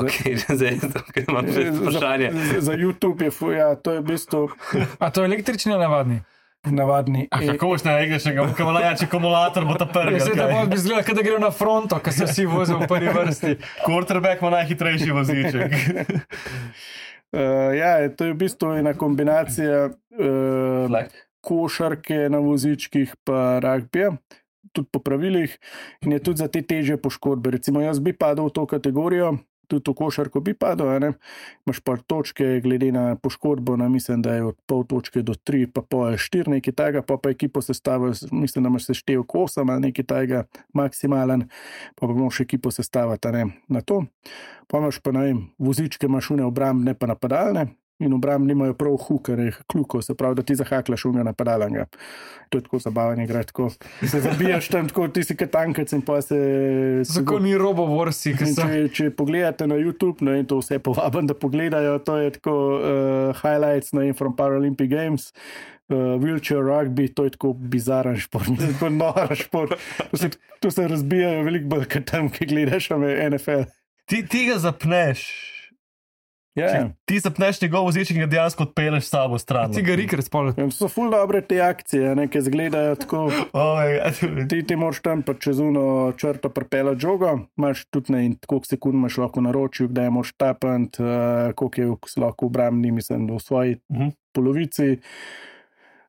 Ok, zdaj imam še vprašanje. Za, za YouTube je, ja, to je v bistvu A to je električni ali navadni? navadni. A kako boš najregneš, ko ima najjači akumulator, bo ta prvi. Jaz se da bolj bi izgledal, kot da gre na fronto, ko se vsi vozijo v prvi vrsti. Quarterback ima najhitrejši voziček. Uh, ja, to je v bistvu ena kombinacija uh, košarke na vozičkih pa ragbija, tudi po pravilih, in je tudi za te težje poškodbe. Recimo jaz bi padel v to kategorijo, tudi v košarko bi padel, ne? Imaš pa točke glede na poškodbo, na mislim, da je od pol točke do tri, pa pol štiri, nekaj tega, pa pa ekipo sestavil, mislim, da imaš seštevek osem ali nekaj tega maksimalen, pa pa bomo še ekipo sestaviti, ne, na to. Pa imaš pa, ne vem, vozičke imaš une obrambne pa napadalne, in obrambni imajo prav hukare, kljuko, se pravi, da ti zahaklaš unja napadalnega. To je tako zabavanje, gre tako. Se zabijaš tam tako, ti si katankec in pa se... Zakon ni robo vorsi, ki so... Če, če pogledate na YouTube, no in to vse povabim, da pogledajo, to je tako uh, highlights, no in from Paralympic Games, uh, wheelchair rugby, to je tako bizaren šport, tako nor šport. To se, to se razbijajo veliko bolj, kot tam, ki gledaš N F L. Ti, ti ga zapneš. Ja, ja. Ti zapneš njegov voziček in ga dejansko odpeleš s sabo stran. Ti ga rikre spolno. To so ful dobre te akcije, ne, ki izgledajo tako. Oh, ja. Ti, ti moraš tam pa čez uno črto pripelati žogo, imaš tudi ne, in koliko sekund imaš lahko na ročju, kdaj moraš tapant, uh, koliko je lahko obrambni, mislim, v svoji uh-huh. polovici.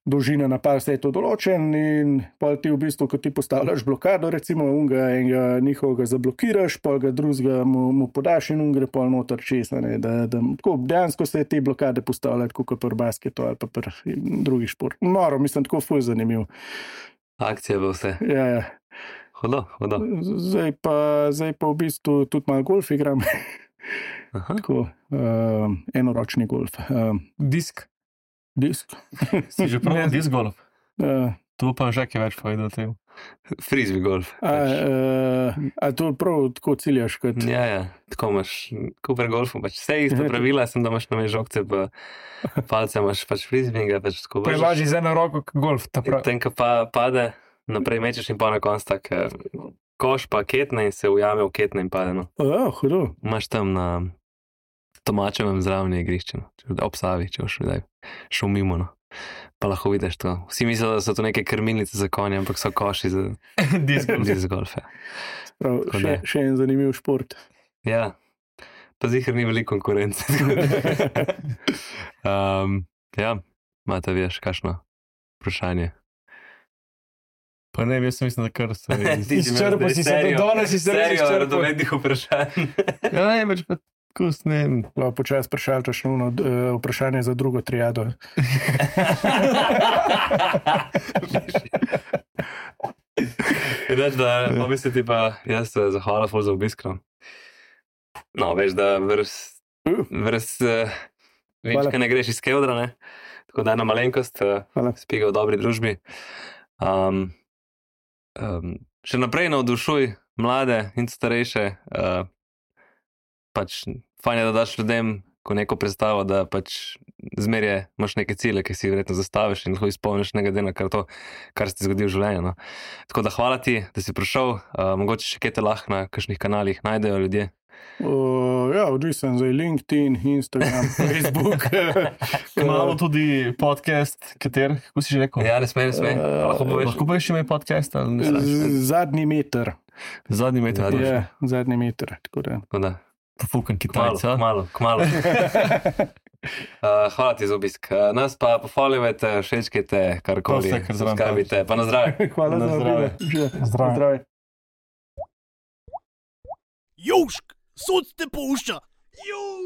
Dolžina napad, vse je to določen in pol ti v bistvu, ko ti postavljaš blokado, recimo unga enega njihovega zablokiraš, pol ga drugega mu, mu podaš in ungre pol noter čez, ne, da, da tako, dejansko se te blokade postavljajo, tako kot pri basketu ali pa pri drugih šport. Moro, mislim, tako ful zanimiv. Akcija bo vse. Ja, ja. Hodo, hodo. Zdaj pa, zdaj pa v bistvu tudi malo golf igram. Tako, uh, enoročni golf. Uh, Disk. Disk. Si že prav disk golf? Uh, To pa že kaj več povedal o tem. Frisbee golf. a, uh, a to prav tako ciljaš kot... Ja, ja, tako imaš, kot pri golfu, pač vse isto pravila, sem da imaš na me žogce, pa palce imaš pač frisbee, pač tako vržeš. Prevaži z eno roko k golf, ta prav. Tem, ko pa pade, naprej mečeš in pa na konc tak koš pa ketne in se ujame v ketne in pade, no. Oh, hudo. Imaš tam na Tomačevem zraven igrišče, no. Ob Savi, če boš videl, šel mimo, no. Pa lahko vidiš to. Vsi mislijo, da so to neke krmilnice za konje, ampak so koši za disc golf. Ja. Prav, še, še en zanimiv šport. Ja, pa zihar ni veliko konkurence. um, ja, imate vi še kakšno vprašanje? Pa ne, jaz sem mislim, da kar se... Izčrpo si se, do danes si se res Serijo, izčrpo. radovednih vprašanj. Ja, ne, več pa kus, ne vem. No, počas vprašal to še ono, uh, vprašanje za drugo triado. Reč, da pomisliti pa, jaz se zahvala ful za obisk. No, no veš, da vrz, vrz uh, več, kaj ne greš iz Kevdra, ne? Tako da ena malenkost, uh, spiga v dobri družbi. Um, um, še naprej navdušuj mlade in starejše, uh, pač fajn je, da daš ljudem ko neko predstavo, da pač zmerje imaš neke cilje, ki si verjetno zastaviš in lahko izpolniš ne glede na kar to, kar se ti zgodi v življenju. No. Tako da hvala ti, da si prišel, uh, mogoče še kaj te lahko na kakšnih kanalih najdejo ljudje. Uh, ja, odvisen za LinkedIn, Instagram, Facebook. Malo tudi podcast, kater, kako si že rekel? Ja, ne smej, ne smej. Uh, lahko poveš. Lahko poveš ime podcast? Ali ne znaš? Z- Zadnji meter. Zadnji meter. Zadnji. Ja, zadnji meter. Tako da. Tako da, Pofukan kmalo, Kitajca. kmalo, kmalo. Uh, hvala ti za obisk. Uh, nas pa pohvalite, všečkajte, karkoli, To vse, kar zraven subskrbite, pa na zdravje. Hvala Na za zdravje. obisk. Zdravje. Zdravje. Južk, sod te pušča. Južk.